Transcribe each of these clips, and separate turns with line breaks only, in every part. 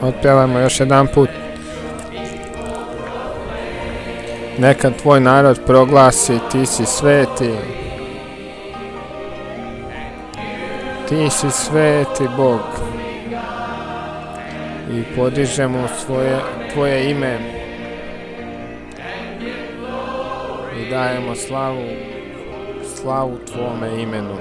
Otpjevajmo još jedan put. Neka tvoj narod proglasi, ti si sveti. Ti si sveti Bog. I podižemo tvoje ime. I dajemo slavu tvome imenu.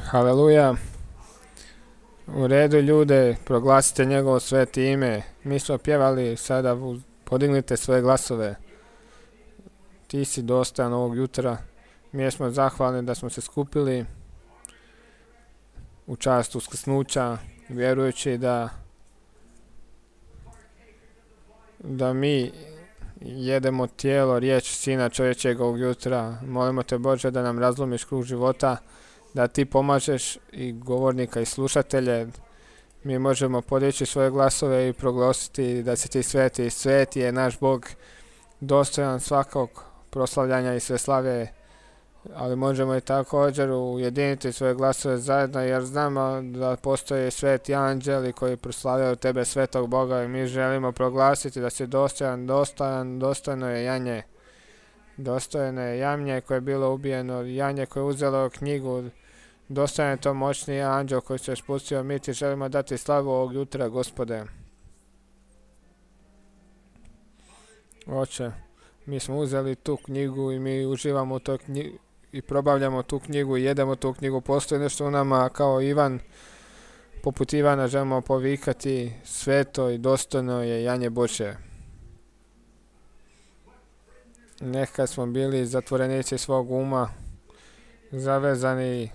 Haleluja. U redu ljude, proglasite njegovo sveti ime. Mi smo pjevali, sada podignite svoje glasove. Ti si dostojan ovog jutra. Mi smo zahvalni da smo se skupili u čast uskrsnuća, vjerujući da mi jedemo tijelo, riječ Sina čovječeg ovog jutra. Molimo te Bože da nam razlomiš krug života, da ti pomažeš i govornika i slušatelje. Mi možemo podići svoje glasove i proglasiti da si ti sveti. Sveti je naš Bog, dostojan svakog proslavljanja i sve slave, ali možemo i također ujediniti svoje glasove zajedno, jer znamo da postoje sveti anđeli koji proslavljaju tebe, svetog Boga, i mi želimo proglasiti da si dostojan, dostojno je janje. Dostojno je janje koje je bilo ubijeno, janje koje je uzelo knjigu. Dostojan je to moćni anđel koji se spustio. Mi ti želimo dati slavu ovog jutra, Gospode. Oče, mi smo uzeli tu knjigu i mi uživamo u toj knjigu i probavljamo tu knjigu i jedemo tu knjigu. Postoji nešto u nama kao Ivan, poput Ivana želimo povikati: sveto i dostojno je janje Božje. Nekad smo bili zatvorenici svog uma, zavezani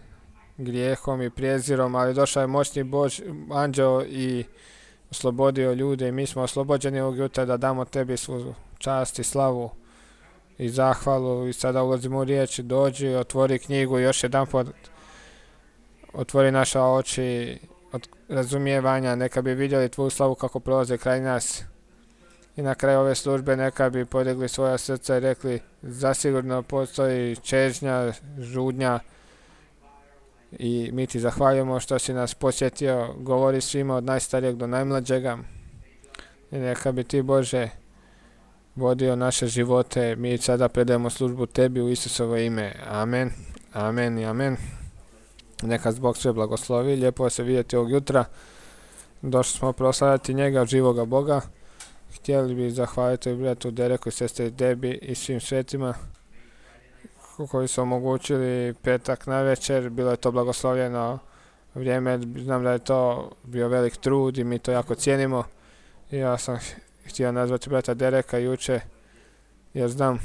grijehom i prijezirom, ali došao je moćni anđeo i oslobodio ljude, i mi smo oslobođeni ovog jutra da damo tebi svu čast i slavu i zahvalu. I sada ulazimo u riječ. Dođi, otvori knjigu i još jedan put otvori naša oči od razumijevanja, neka bi vidjeli tvoju slavu kako prolaze kraj nas. I na kraju ove službe neka bi podigli svoja srca i rekli: zasigurno postoji čežnja, žudnja, i mi ti zahvaljujemo što si nas posjetio. Govori svima od najstarijeg do najmlađega. I neka bi ti, Bože, vodio naše živote. Mi sada predajemo službu tebi u Isusovo ime. Amen, amen i amen. Neka Bog sve blagoslovi. Lijepo se vidjeti ovog jutra. Došli smo proslavljati njega, živoga Boga. Htjeli bi zahvaliti bratu Dereku i sestri Debi i svim svetima koji su omogućili petak na večer. Bilo je to blagoslovljeno vrijeme. Znam da je to bio velik trud i mi to jako cijenimo. I ja sam htio nazvati brata Dereka juče, jer znam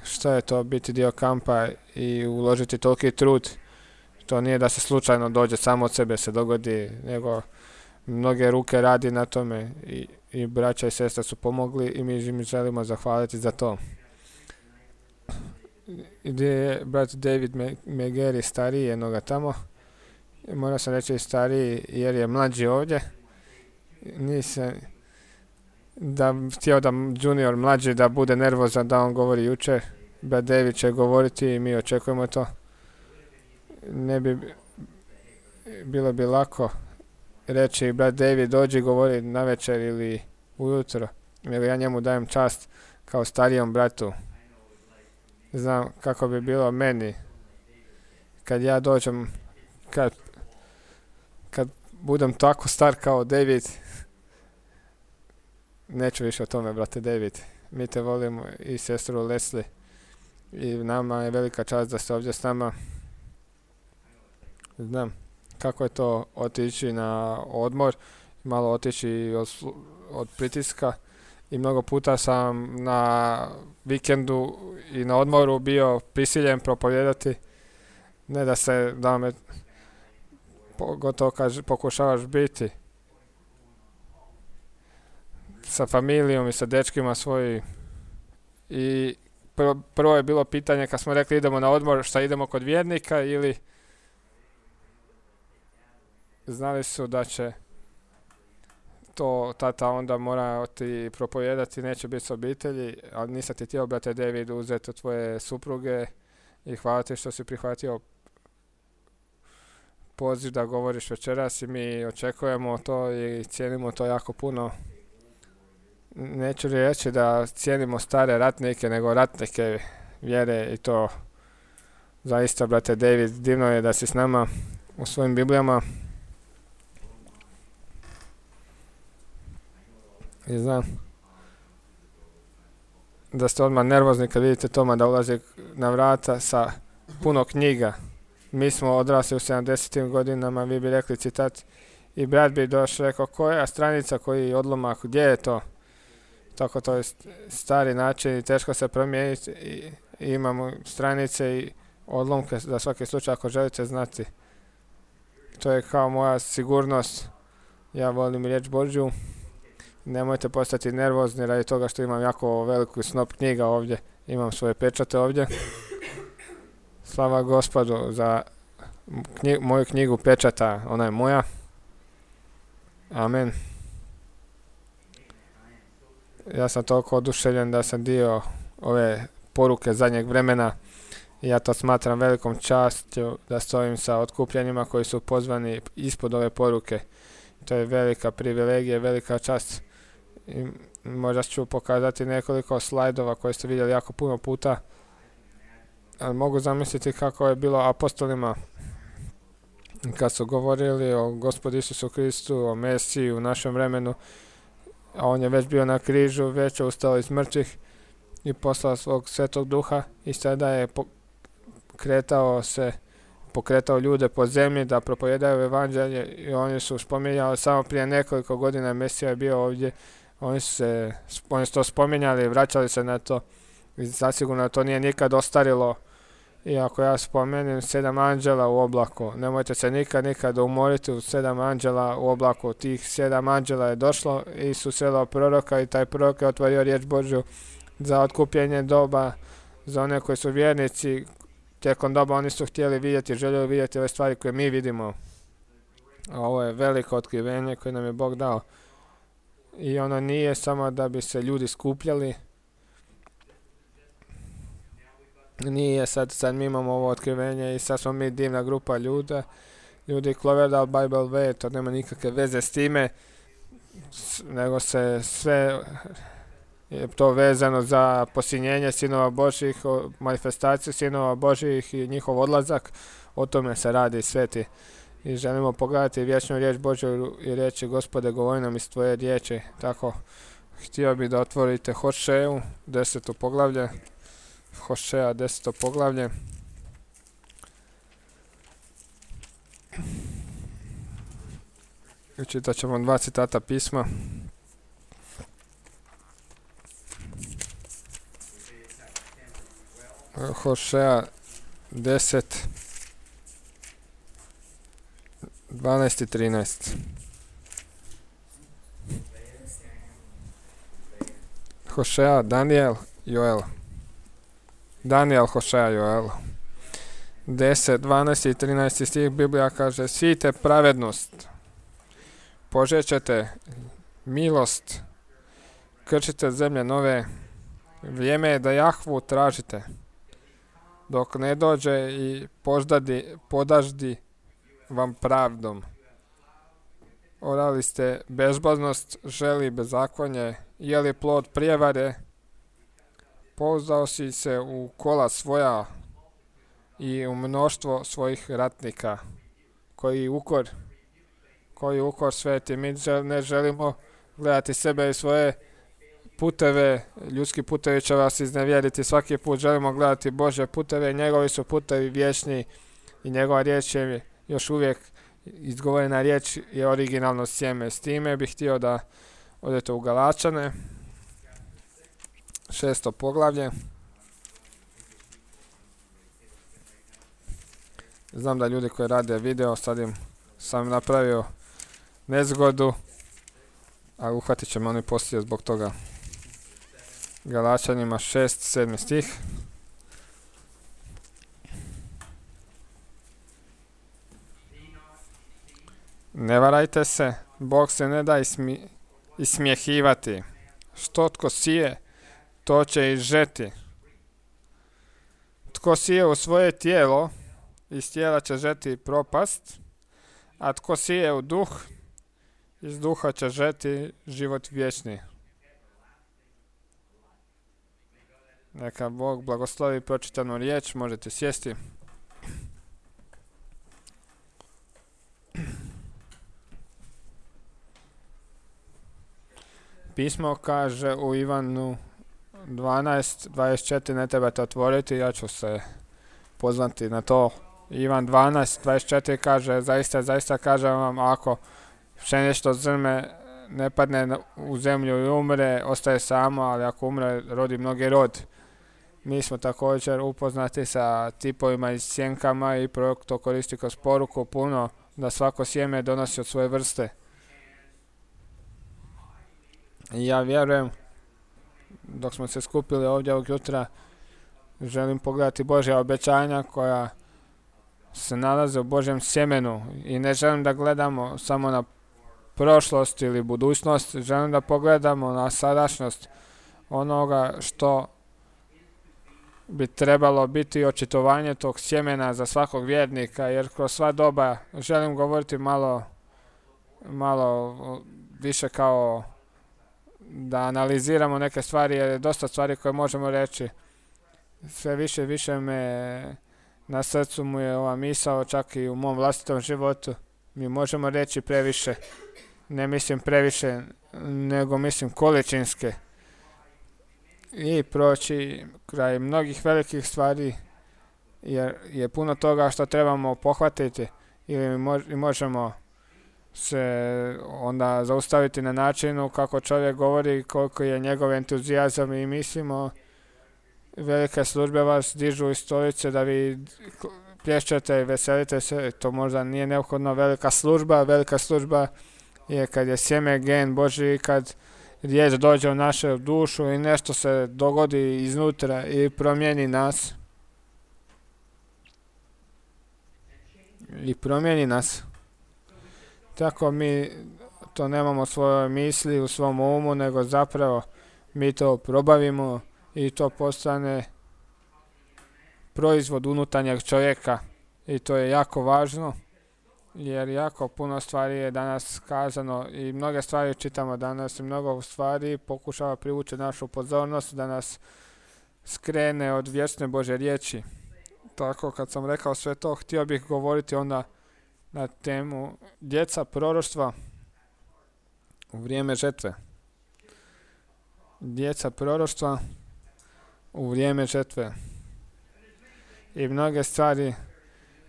što je to biti dio kampa i uložiti toliki trud. To nije da se slučajno dođe, samo od sebe se dogodi, nego mnoge ruke radi na tome i braća i sestra su pomogli i mi želimo zahvaliti za to. Gdje je brat David Megeri, stariji jednoga tamo. Moram sam reći stariji jer je mlađi ovdje. Nisam htio da junior mlađi da bude nervozan da on govori jučer. Brat David će govoriti i mi očekujemo to. Ne bi bilo bi lako reći: brat David, dođi govori na večer ili ujutro. Nego ja njemu dajem čast kao starijom bratu. Znam kako bi bilo meni kad ja dođem, kad budem tako star kao David. Neću više o tome, brate David. Mi te volimo i sestru Leslie. I nama je velika čast da ste ovdje s nama. Znam kako je to otići na odmor, malo otići od pritiska. I mnogo puta sam na vikendu i na odmoru bio prisiljen propovijedati. Ne da me pogotovo kad pokušavaš biti sa familijom i sa dečkima svojim. I prvo je bilo pitanje kad smo rekli idemo na odmor, šta idemo kod vjernika ili znali su da će to tata onda mora ti propovijedati, neće biti s obitelji, ali nisam ti htio, brate David, uzeti tvoje supruge i hvala ti što si prihvatio poziv da govoriš večeras i mi očekujemo to i cijenimo to jako puno. Neću reći da cijenimo stare ratnike, nego ratnike vjere i to zaista, brate David, divno je da si s nama u svojim Biblijama. I znam da ste odmah nervozni kad vidite Toma da ulazi na vrata sa puno knjiga. Mi smo odrasli u 70. godinama, vi bi rekli citat, i brat bi došao rekao koja stranica, koji odlomak, gdje je to? Tako to je stari način i teško se promijeniti i imamo stranice i odlomke za svaki slučaj ako želite znati. To je kao moja sigurnost. Ja volim riječ Božju. Nemojte postati nervozni radi toga što imam jako veliku snop knjiga ovdje. Imam svoje pečate ovdje. Slava Gospodu za moju knjigu pečata. Ona je moja. Amen. Ja sam toliko oduševljen da sam dio ove poruke zadnjeg vremena. Ja to smatram velikom častju da stojim sa otkupljenima koji su pozvani ispod ove poruke. To je velika privilegija, velika čast. I možda ću pokazati nekoliko slajdova koje ste vidjeli jako puno puta. Ali mogu zamisliti kako je bilo apostolima kad su govorili o Gospodu Isusu Kristu, o Mesiji u našem vremenu. A on je već bio na križu, već je ustao iz mrtvih i poslao svog Svetog Duha i sada je pokretao ljude po zemlji da propovijedaju evanđelje i oni su spominjali samo prije nekoliko godina Mesija je bio ovdje. Oni su to spominjali i vraćali se na to i zasigurno to nije nikad ostarilo. I ako ja spomenem 7 anđela u oblaku, nemojte se nikad umoriti u 7 anđela u oblaku. Tih 7 anđela je došlo i susrelo proroka i taj prorok je otvorio riječ Božju za otkupljenje doba, za one koji su vjernici. Tijekom doba oni su željeli vidjeti ove stvari koje mi vidimo. A ovo je veliko otkrivenje koje nam je Bog dao. I ono nije samo da bi se ljudi skupljali. Nije sad mi imamo ovo otkrivenje i sad smo mi divna grupa ljudi Cloverdale Bible Way, to nema nikakve veze s time, nego se sve je to vezano za posinjenje sinova Božjih, manifestaciju sinova Božjih i njihov odlazak, o tome se radi sveti. I želimo pogledati vječnu riječ Božju i reći Gospode govori nam iz tvoje riječi. Tako, htio bi da otvorite Hošeju, 10. poglavlje. Hošeja, 10. poglavlje. I čitat ćemo 2 citata pisma. Hošeja 10, 12 i 13. Hošeja, Daniel, Joel. Daniel, Hošeja, Joel. 10, 12 i 13 stih Biblija kaže: sijte pravednost, požećete milost, krčite zemlje nove, vrijeme je da Jahvu tražite, dok ne dođe i podaždi vam pravdom. Orali ste bezboznost, želi bezakonje, jeli plod prijevare, pouzdao si se u kola svoja i u mnoštvo svojih ratnika. Koji ukor sveti. Mi ne želimo gledati sebe i svoje puteve. Ljudski putevi će vas iznevjeriti. Svaki put želimo gledati Božje puteve. Njegovi su putevi vječni i njegova riječ je još uvijek izgovorena riječ je originalno sjeme. S time bih htio da odete u Galačane, 6. poglavlje. Znam da ljudi koji rade video sad im sam napravio nezgodu, a uhvatit ćemo oni poslije zbog toga. Galačanima 6:7 stih. Ne varajte se, Bog se ne da ismjehivati. Što tko sije, to će i žeti. Tko sije u svoje tijelo, iz tijela će žeti propast, a tko sije u duh, iz duha će žeti život vječni. Neka Bog blagoslovi pročitanu riječ, možete sjesti. Pismo kaže u Ivanu 12:24, ne trebate otvoriti, ja ću se pozvati na to. Ivan 12:24 kaže, zaista kažem vam, ako pšenično zrme ne padne u zemlju i umre, ostaje samo, ali ako umre, rodi mnogi rod. Mi smo također upoznati sa tipovima i sjenkama i prorok to koristi kroz poruku puno, da svako sjeme donosi od svoje vrste. I ja vjerujem, dok smo se skupili ovdje ovog jutra, želim pogledati Božja obećanja koja se nalaze u Božjem sjemenu i ne želim da gledamo samo na prošlost ili budućnost, želim da pogledamo na sadašnjost onoga što bi trebalo biti očitovanje tog sjemena za svakog vjernika, jer kroz sva doba želim govoriti malo više kao da analiziramo neke stvari, jer je dosta stvari koje možemo reći. Sve više me na srcu mu je ova misao, čak i u mom vlastitom životu. Mi možemo reći previše, ne mislim previše, nego mislim količinske. I proći kraj mnogih velikih stvari, jer je puno toga što trebamo pohvatiti ili možemo se onda zaustaviti na načinu kako čovjek govori, koliko je njegov entuzijazam i mislimo velike službe vas dižu iz stolice da vi plješćete i veselite se. To možda nije neophodno velika služba je kad je sjeme gen Božji, kad riječ dođe u našu dušu i nešto se dogodi iznutra i promijeni nas. Tako mi to nemamo u svojoj misli, u svom umu, nego zapravo mi to probavimo i to postane proizvod unutarnjeg čovjeka. I to je jako važno, jer jako puno stvari je danas kazano i mnoge stvari čitamo danas i mnogo stvari pokušava privući našu pozornost da nas skrene od vječne Božje riječi. Tako kad sam rekao sve to, htio bih govoriti onda na temu djeca proroštva u vrijeme žetve. Djeca proroštva u vrijeme žetve. I mnoge stvari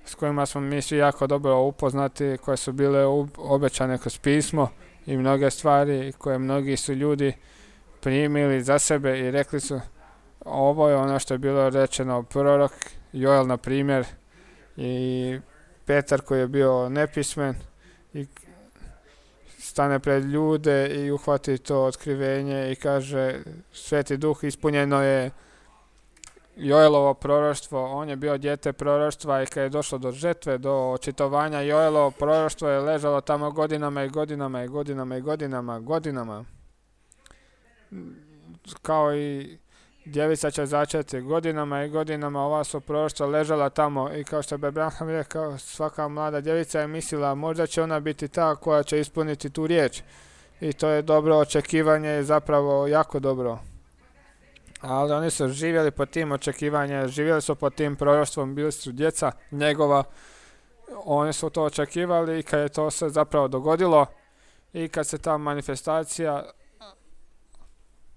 s kojima smo mi svi jako dobro upoznati, koje su bile obećane kroz pismo i mnoge stvari koje mnogi su ljudi primili za sebe i rekli su ovo je ono što je bilo rečeno prorok Joel na primjer i Petar koji je bio nepismen i stane pred ljude i uhvati to otkrivenje i kaže Sveti Duh, ispunjeno je Joelovo proroštvo, on je bio dijete proroštva i kad je došlo do žetve, do očitovanja, Joelovo proroštvo je ležalo tamo godinama. Kao i djevica će začeti godinama, ova su proroštva ležala tamo i kao što bi Abraham rekao, svaka mlada djevica je mislila možda će ona biti ta koja će ispuniti tu riječ. I to je dobro očekivanje, je zapravo jako dobro. Ali oni su živjeli po tim očekivanjem, živjeli su po tim proroštvom, bili su djeca njegova, oni su to očekivali i kad je to se zapravo dogodilo i kad se ta manifestacija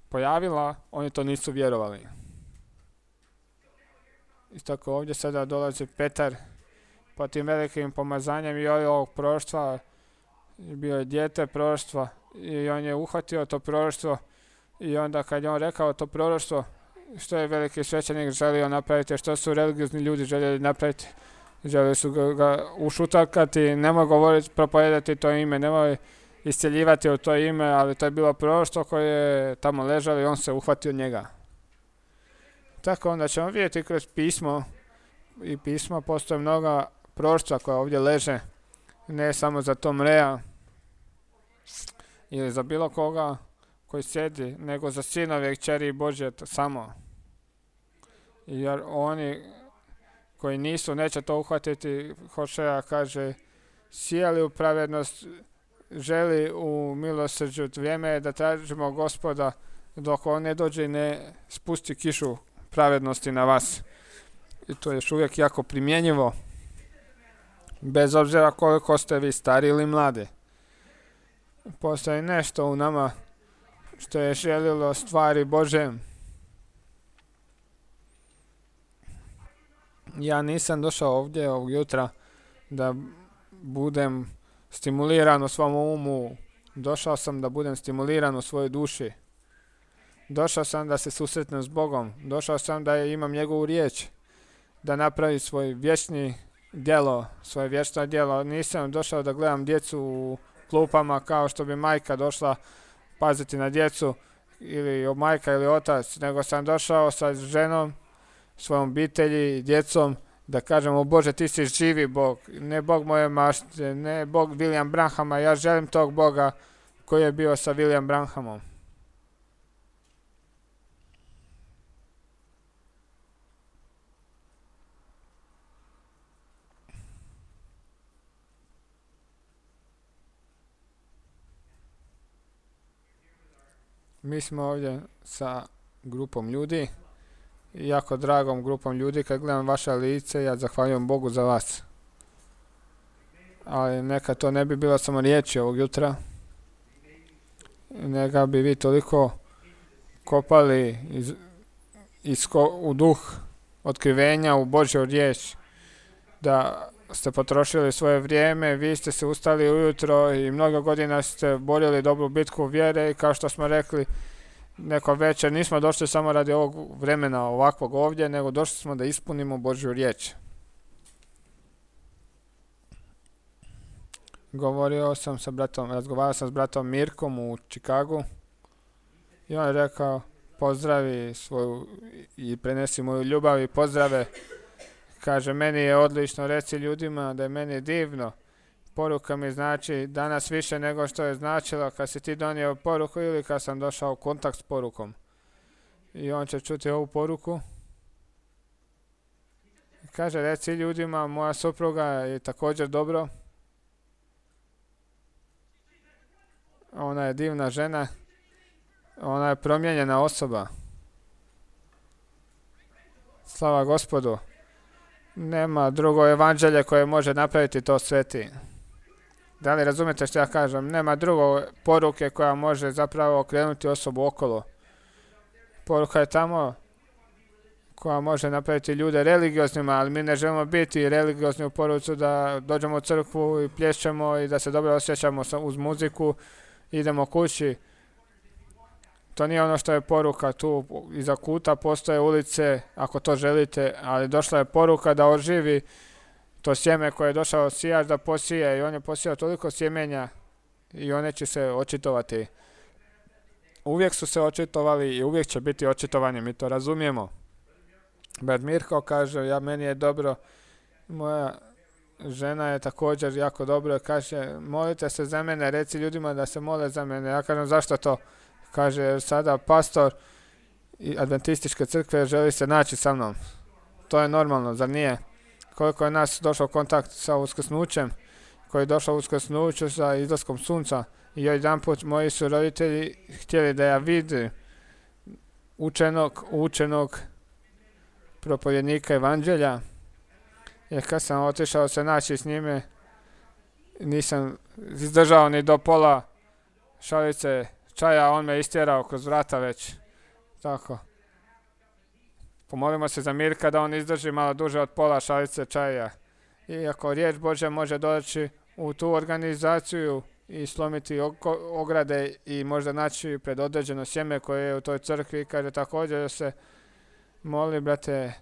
pojavila, oni to nisu vjerovali. I tako ovdje sada dolazi Petar po tim velikim pomazanjem i ovog proroštva, bio je dijete proroštva i on je uhvatio to proroštvo i onda kad je on rekao to proroštvo, što je veliki svećenik želio napraviti, što su religiozni ljudi željeli napraviti, želi su ga ušutakati, nemoj govoriti, propovedati to ime, nemoj isceljivati u to ime, ali to je bilo proroštvo koje je tamo ležalo i on se uhvatio njega. Tako onda ćemo vidjeti kroz pismo, i pismo postoje mnoga proroštva koja ovdje leže, ne samo za Tom Rea ili za bilo koga koji sjedi, nego za sinove i kćeri Božje samo. Jer oni koji nisu, neće to uhvatiti. Hošeja kaže, sijali u pravednost, želi u milosrđu, vrijeme je da tražimo Gospoda dok on ne dođe i ne spusti kišu pravednosti na vas. I to je još uvijek jako primjenjivo, bez obzira koliko ste vi stari ili mladi. Postoji nešto u nama što je želilo stvari Bože. Ja nisam došao ovdje ovog jutra da budem stimuliran u svom umu. Došao sam da budem stimuliran u svojoj duši. Došao sam da se susretnem s Bogom. Došao sam da imam njegovu riječ, da napravi svoj vječni djelo, svoje vječno djelo. Nisam došao da gledam djecu u klupama kao što bi majka došla paziti na djecu, ili majka ili otac, nego sam došao sa ženom, svojom obitelji, djecom, da kažemo, Bože, ti si živi Bog, ne Bog moje mašte, ne Bog William Branhama, ja želim tog Boga koji je bio sa William Branhamom. Mi smo ovdje sa grupom ljudi, jako dragom grupom ljudi. Kad gledam vaše lice, ja zahvaljujem Bogu za vas. Ali neka to ne bi bilo samo riječi ovog jutra, neka bi vi toliko kopali u duh otkrivenja, u Božju riječ, da ste potrošili svoje vrijeme. Vi ste se ustali ujutro i mnogo godina ste borili dobru bitku vjere, i kao što smo rekli neko večer, nismo došli samo radi ovog vremena ovakvog ovdje, nego došli smo da ispunimo Božju riječ. Razgovarao sam s bratom Mirkom u Čikagu i on je rekao, pozdravi svoju i prenesi moju ljubav i pozdrave. Kaže, meni je odlično, reci ljudima da je meni divno. Poruka mi znači danas više nego što je značilo kad si ti donio poruku ili kad sam došao u kontakt s porukom. I on će čuti ovu poruku. Kaže, reci ljudima, moja supruga je također dobro. Ona je divna žena. Ona je promijenjena osoba. Slava Gospodu. Nema drugo evanđelje koje može napraviti to sveti. Da li razumijete što ja kažem? Nema drugo poruke koja može zapravo okrenuti osobu okolo. Poruka je tamo koja može napraviti ljude religioznima, ali mi ne želimo biti religiozni u poruci da dođemo u crkvu i plješćemo i da se dobro osjećamo uz muziku, idemo kući. To nije ono što je poruka. Tu iza kuta postoje ulice, ako to želite, ali došla je poruka da oživi to sjeme koje je došao sijač da posije, i on je posijao toliko sjemenja i one će se očitovati. Uvijek su se očitovali i uvijek će biti očitovani, mi to razumijemo. Brat Mirko kaže, meni je dobro, moja žena je također jako dobro, kaže, molite se za mene, reci ljudima da se mole za mene. Ja kažem, zašto to? Kaže, sada pastor i adventističke crkve želi se naći sa mnom. To je normalno, zar nije? Koliko je nas došao u kontakt sa uskrsnućem, koji je došao u uskrsnuću sa izlaskom sunca, i jedan put moji su roditelji htjeli da ja vidim učenog propovjednika evanđelja, jer kad sam otišao se naći s njime, nisam izdržao ni do pola šalice čaja, on me istjerao kroz vrata već. Tako. Pomolimo se za Mirka da on izdrži malo duže od pola šalice čaja. Iako riječ Božja može doći u tu organizaciju i slomiti ograde i možda naći pred određeno sjeme koje je u toj crkvi, kaže također da se moli, brate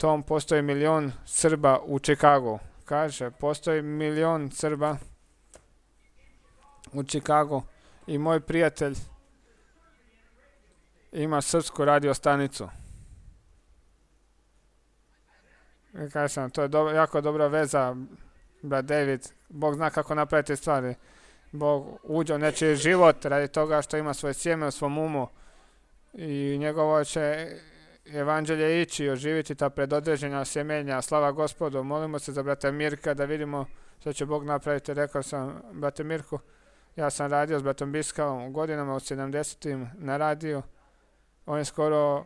Tom, postoji 1.000.000 Srba u Chicagu. Kaže, postoji 1.000.000 Srba u Chicagu i moj prijatelj ima srpsku radio stanicu. I kažem, to je jako dobra veza, brat David. Bog zna kako napraviti stvari. Bog uđe u nečiji život radi toga što ima svoje sjeme u svom umu i njegovo će evanđelje ići i oživiti ta predodređena sjemenja. Slava Gospodu. Molimo se za brata Mirka da vidimo što će Bog napraviti. Rekao sam brate Mirku, ja sam radio s bratom Biskavom godinama od 70. na radiju. On je skoro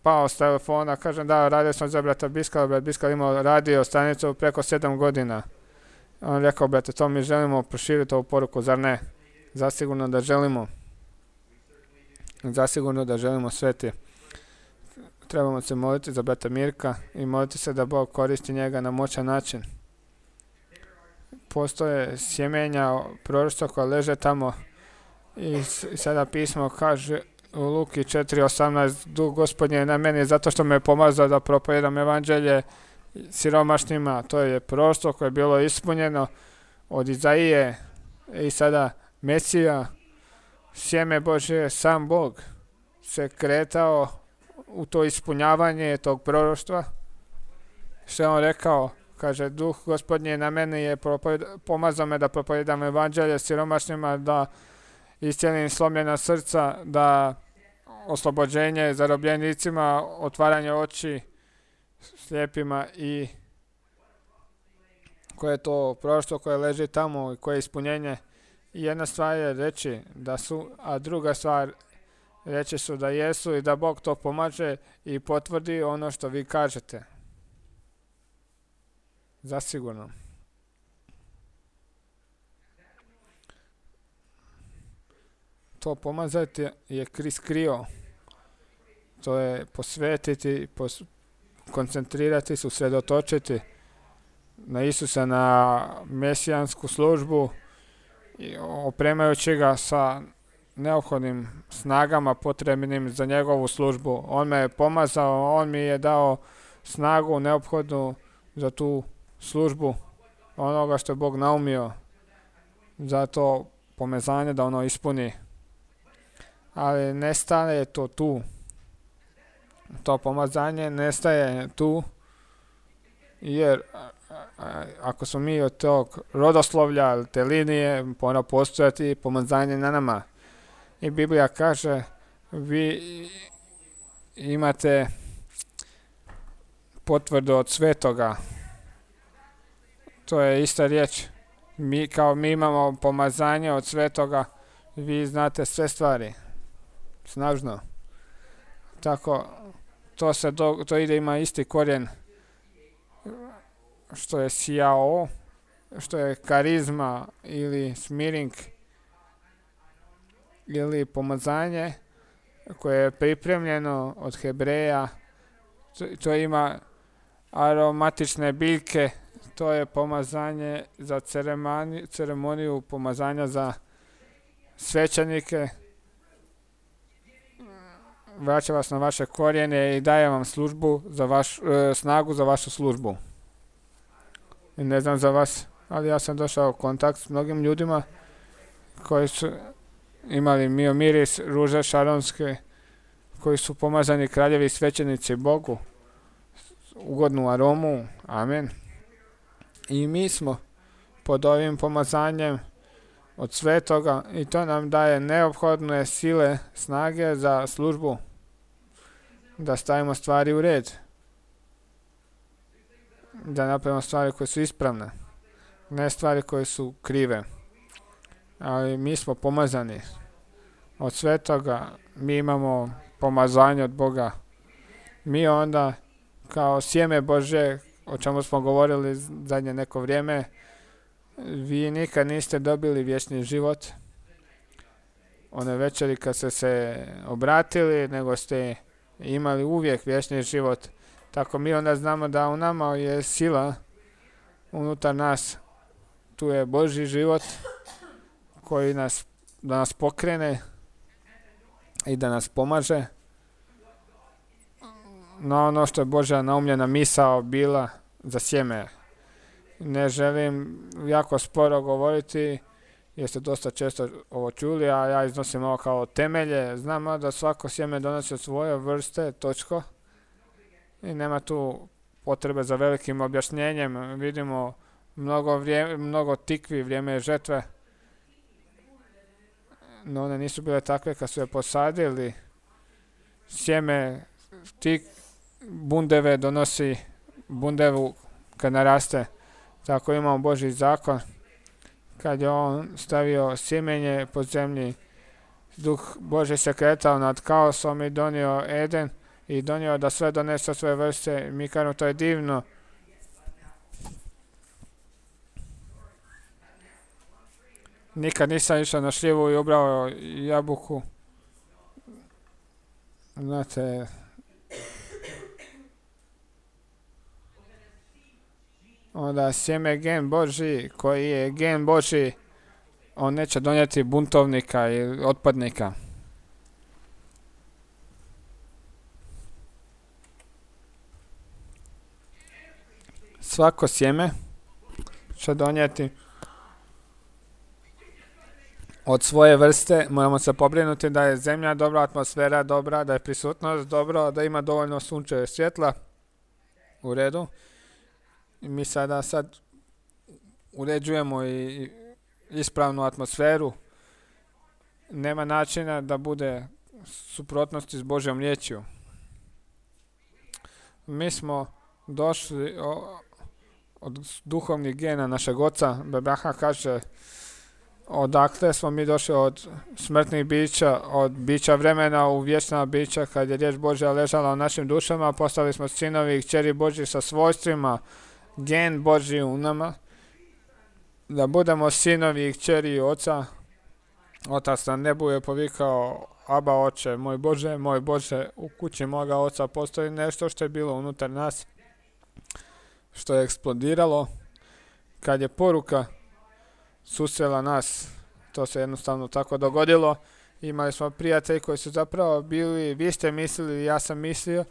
pao s telefona. Kažem, da, radio sam za brata Biskala. Brat Biskal imao radio stanicu preko 7 godina. On rekao, brate, to mi želimo proširiti ovu poruku, zar ne? Zasigurno da želimo. Zasigurno da želimo sveti. Trebamo se moliti za brata Mirka i moliti se da Bog koristi njega na moćan način. Postoje sjemenja proroštva koja leže tamo i sada pismo kaže u Luki 4.18, Duh Gospodnji je na meni zato što me pomazao da propovijedam evanđelje siromašnima. To je proroštvo koje je bilo ispunjeno od Izaije i sada Mesija, sjeme Božje, sam Bog se kretao u to ispunjavanje tog proroštva. Što je on rekao? Kaže, Duh Gospodnji na meni je pomazao me da propovijedam evanđelje siromašnima, da iscijelim slomljena srca, da oslobođenje zarobljenicima, otvaranje oči slijepima i koje je to proroštvo koje leži tamo i koje je ispunjenje. I jedna stvar je reći da su, a druga stvar reći su da jesu i da Bog to pomaže i potvrdi ono što vi kažete. Zasigurno. To pomazati je Krist krio. To je posvetiti, koncentrirati se, usredotočiti na Isusa, na mesijansku službu, opremajući ga sa neophodnim snagama potrebnim za njegovu službu. On me je pomazao, on mi je dao snagu neophodnu za tu službu onoga što je Bog naumio za to pomazanje da ono ispuni. Ali nestaje to tu. To pomazanje nestaje tu, jer ako smo mi od tog rodoslovlja, te linije, mora postojati pomazanje na nama. I Biblija kaže, vi imate potvrdu od svetoga. To je ista riječ. Mi imamo pomazanje od svetoga, vi znate sve stvari. Snažno. Tako, to ide, ima isti korijen što je sjao, što je karizma ili smiring ili pomazanje koje je pripremljeno od Hebreja. To ima aromatične biljke, to je pomazanje za ceremoniju pomazanja za svećenike. Vraća vas na vaše korijene i daje vam službu za snagu za vašu službu. I ne znam za vas, ali ja sam došao u kontakt s mnogim ljudima koji su imali miris, ruže šaronske, koji su pomazani kraljevi svećenici Bogu, ugodnu aromu, amen. I mi smo pod ovim pomazanjem od svetoga i to nam daje neophodne sile, snage za službu, da stavimo stvari u red, da napravimo stvari koje su ispravne, ne stvari koje su krive. Ali mi smo pomazani od svetoga, mi imamo pomazanje od Boga. Mi onda kao sjeme Bože, o čemu smo govorili zadnje neko vrijeme, vi nikad niste dobili vječni život one večeri kad ste se obratili, nego ste imali uvijek vječni život. Tako mi onda znamo da u nama je sila unutar nas. Tu je Božji život koji da nas pokrene i da nas pomaže na ono što je Božja naumljena misao bila za sjeme. Ne želim jako sporo govoriti, jer ste dosta često ovo čuli, a ja iznosim ovo kao temelje. Znamo da svako sjeme donosi od svoje vrste, točko. I nema tu potrebe za velikim objašnjenjem. Vidimo mnogo tikvi, vrijeme je žetve. No one nisu bile takve kad su je posadili. Sjeme, bundeve donosi bundevu kad naraste. Tako imamo Božji zakon. Kad je on stavio sjemenje po zemlji, Duh Božji se kretao nad kaosom i donio Eden i donio da sve donese svoje vrste. Mi kažemo to je divno. Nikad nisam išao na šljivu i ubrao jabuku. Znate, onda sjeme gen Božji, koji je gen Božji, on neće donijeti buntovnika ili otpadnika. Svako sjeme će donijeti od svoje vrste. Moramo se pobrinuti da je zemlja dobra, atmosfera dobra, da je prisutnost dobra, da ima dovoljno sunčeve svjetla. U redu. I mi sad uređujemo i ispravnu atmosferu. Nema načina da bude suprotnosti s Božjom riječju. Mi smo došli od duhovnih gena našeg oca. Bebraha kaže, odakle smo mi došli od smrtnih bića, od bića vremena u vječna bića, kad je riječ Božja ležala u našim dušama, postali smo sinovi i kćeri Božji sa svojstvima, gen Božji u nama, da budemo sinovi i kćeri oca. Otac na nebu je povikao, Aba oče, moj Bože, u kući moga oca postoji nešto što je bilo unutar nas, što je eksplodiralo. Kad je poruka susrela nas, to se jednostavno tako dogodilo. Imali smo prijatelji koji su zapravo bili, vi ste mislili, ja sam mislio,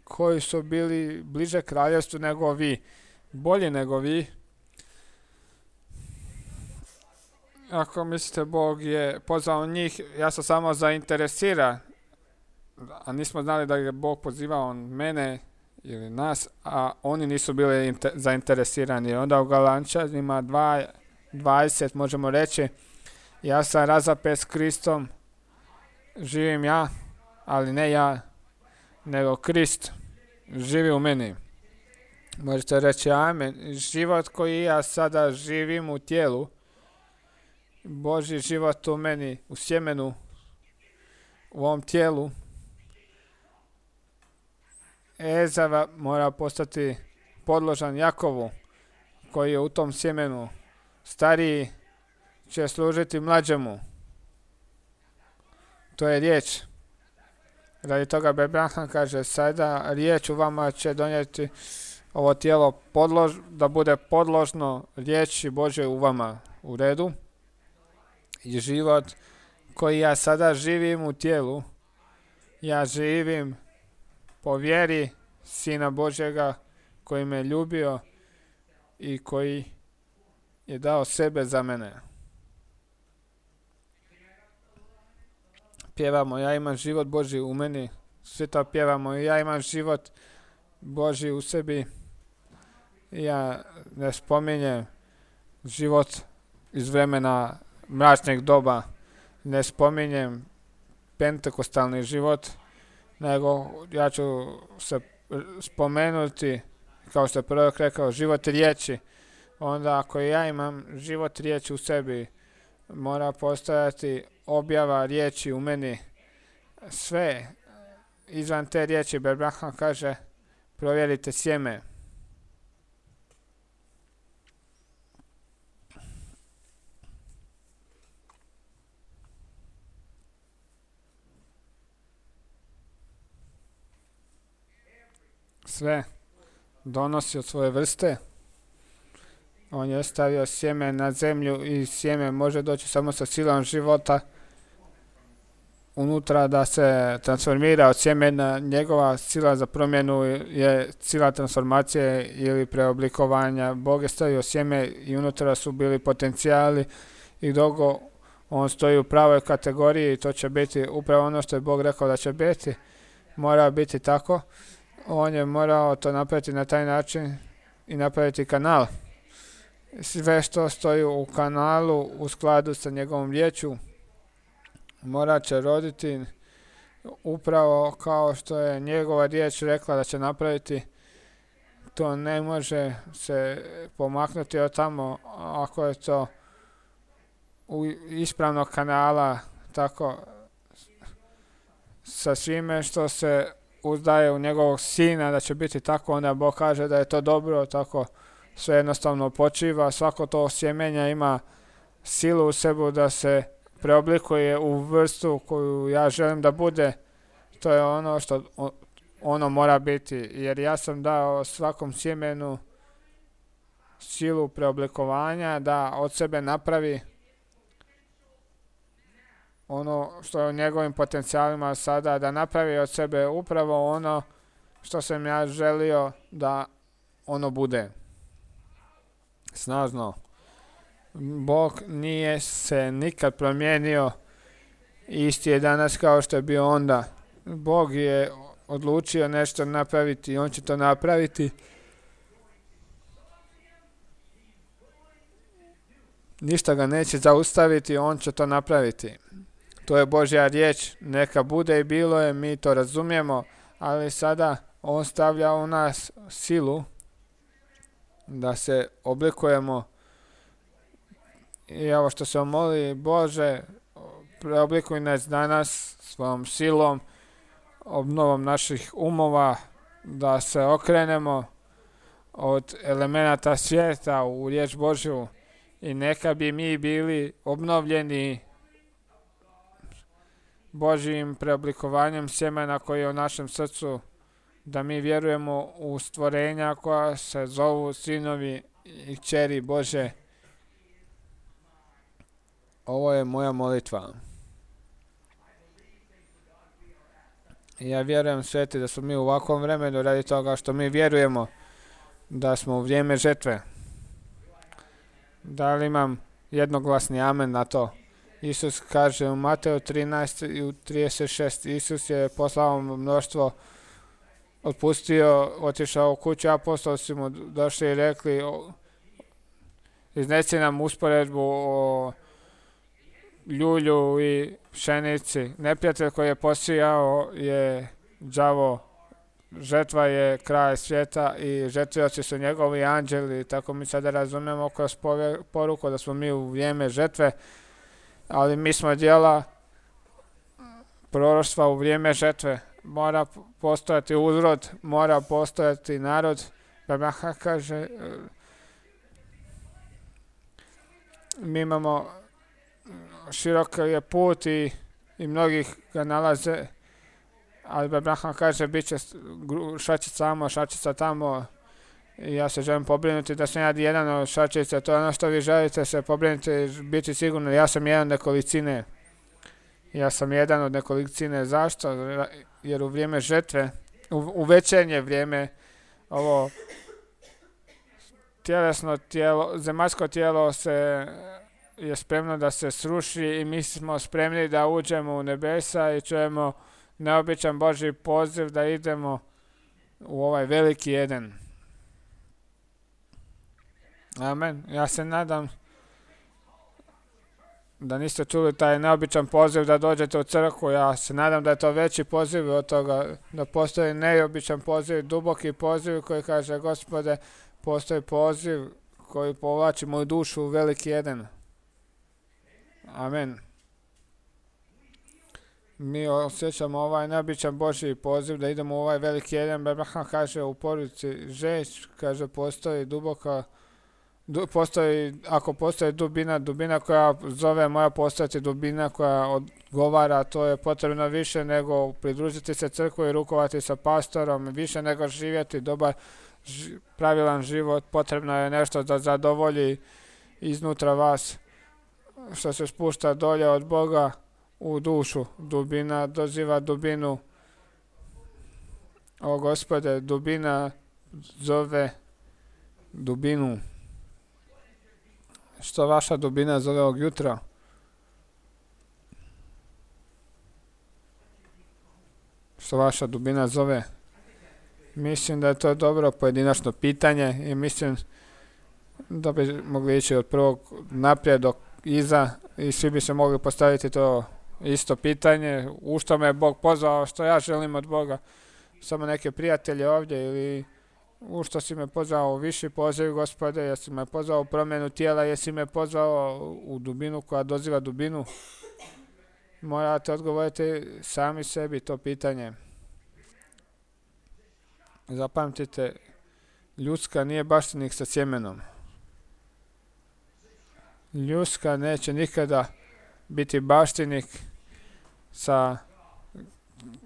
koji su bili bliže kraljevstvu nego vi, bolji nego vi. Ako mislite Bog je pozvao njih, ja sam samo zainteresiran, a nismo znali da je Bog pozivao mene ili nas, a oni nisu bili zainteresirani. Onda u Galančanima 2:20 možemo reći, ja sam razapet s Kristom, živim ja, ali ne ja, nego Krist živi u meni. Možete reći amen. Život koji ja sada živim u tijelu, Božji život u meni, u sjemenu, u ovom tijelu, Ezava mora postati podložan Jakovu, koji je u tom sjemenu. Stariji će služiti mlađemu. To je riječ. Radi toga Abraham kaže, sada riječ u vama će donijeti ovo tijelo da bude podložno riječi Božje u vama. U redu. I život koji ja sada živim u tijelu, ja živim po vjeri Sina Božjega koji me ljubio i koji je dao sebe za mene. Pjevamo, ja imam život Božji u meni, svi to pjevamo, ja imam život Božji u sebi. Ja ne spominjem život iz vremena mračnih doba, ne spominjem pentekostalni život, nego ja ću se spomenuti, kao što je prorok rekao, život riječi. Onda ako ja imam život riječi u sebi, mora postojati objava riječi u meni. Sve izvan te riječi, Abraham kaže, provjerite sjeme. Sve donosi od svoje vrste. On je stavio sjeme na zemlju i sjeme može doći samo sa silom života unutra da se transformira od sjemena. Njegova sila za promjenu je sila transformacije ili preoblikovanja. Bog je stavio sjeme i unutra su bili potencijali i dok on stoji u pravoj kategoriji i to će biti upravo ono što je Bog rekao da će biti. Mora biti tako. On je morao to napraviti na taj način i napraviti kanal. Sve što stoji u kanalu u skladu sa njegovom riječju morat će roditi upravo kao što je njegova riječ rekla da će napraviti. To ne može se pomaknuti od tamo ako je to u ispravnog kanala, tako sa svime što se uzdaje u njegovog sina da će biti tako, onda Bog kaže da je to dobro, tako sve jednostavno počiva. Svako to sjemenja ima silu u sebi da se preoblikuje u vrstu koju ja želim da bude. To je ono što ono mora biti, jer ja sam dao svakom sjemenu silu preoblikovanja da od sebe napravi ono što je u njegovim potencijalima sada, da napravi od sebe upravo ono što sam ja želio da ono bude. Snažno. Bog nije se nikad promijenio, isti je danas kao što je bio onda. Bog je odlučio nešto napraviti i on će to napraviti. Ništa ga neće zaustaviti, on će to napraviti. To je Božja riječ, neka bude i bilo je, mi to razumijemo, ali sada on stavlja u nas silu da se oblikujemo. I ovo što se moli, Bože, preoblikuj nas danas svojom silom, obnovom naših umova, da se okrenemo od elemenata svijeta u riječ Božju i neka bi mi bili obnovljeni Božjim preoblikovanjem sjemena koji je u našem srcu, da mi vjerujemo u stvorenja koja se zovu sinovi i kćeri Bože. Ovo je moja molitva. I ja vjerujem, Sveti, da smo mi u ovakvom vremenu radi toga što mi vjerujemo da smo u vrijeme žetve. Da li imam jednoglasni amen na to? Isus kaže u Mateju 13 i u 36, Isus je poslao mnoštvo, otpustio, otišao u kuću, apostoli su mu došli i rekli, izneci nam usporedbu o ljulju i pšenici. Neprijatelj koji je posijao je đavo, žetva je kraj svijeta i žetvioci su njegovi anđeli. Tako mi sada razumijemo kroz poruku da smo mi u vrijeme žetve, ali mi smo djela proroštva u vrijeme žetve. Mora postojati uzrod, mora postojati narod. Babaha kaže, mi imamo širok je put i mnogih ga nalaze, ali Abraham kaže bit će šačica tamo i ja se želim pobrinuti da sam ja jedan od šačica. To je ono što vi želite se pobrinuti, biti sigurno. Ja sam jedan od nekolicine. Zašto? Jer u vrijeme žetve, u večernje vrijeme, ovo tjelesno tijelo, zemaljsko tijelo je spremno da se sruši i mi smo spremni da uđemo u nebesa i čujemo neobičan Božji poziv da idemo u ovaj veliki Eden. Amen. Ja se nadam da niste čuli taj neobičan poziv da dođete u crkvu. Ja se nadam da je to veći poziv od toga, da postoji neobičan poziv, duboki poziv koji kaže, Gospode, postoji poziv koji povlači moju dušu u veliki Eden. Amen. Mi osjećamo ovaj neobičan Božji poziv da idemo u ovaj veliki Eden. Abraham kaže u poruci žeć, kaže postoji duboka, ako postoji dubina koja zove, mora postojati dubina koja odgovara. To je potrebno više nego pridružiti se crkvi i rukovati sa pastorom, više nego živjeti dobar pravilan život. Potrebno je nešto da zadovolji iznutra vas što se spušta dolje od Boga, u dušu. Dubina doziva dubinu. O Gospode, dubina zove dubinu. Što vaša dubina zove ovog jutra? Što vaša dubina zove? Mislim da je to dobro pojedinačno pitanje i mislim da bi mogli ići od prvog naprijed do iza i svi bi se mogli postaviti to isto pitanje. U što me je Bog pozvao, što ja želim od Boga? Samo neke prijatelje ovdje ili u što si me pozvao u viši poziv, Gospode, jesi me pozvao u promjenu tijela, jesi me pozvao u dubinu koja doziva dubinu? Morate odgovoriti sami sebi to pitanje. Zapamtite, ljudska nije baštinik sa sjemenom. Ljudska neće nikada biti baštinik sa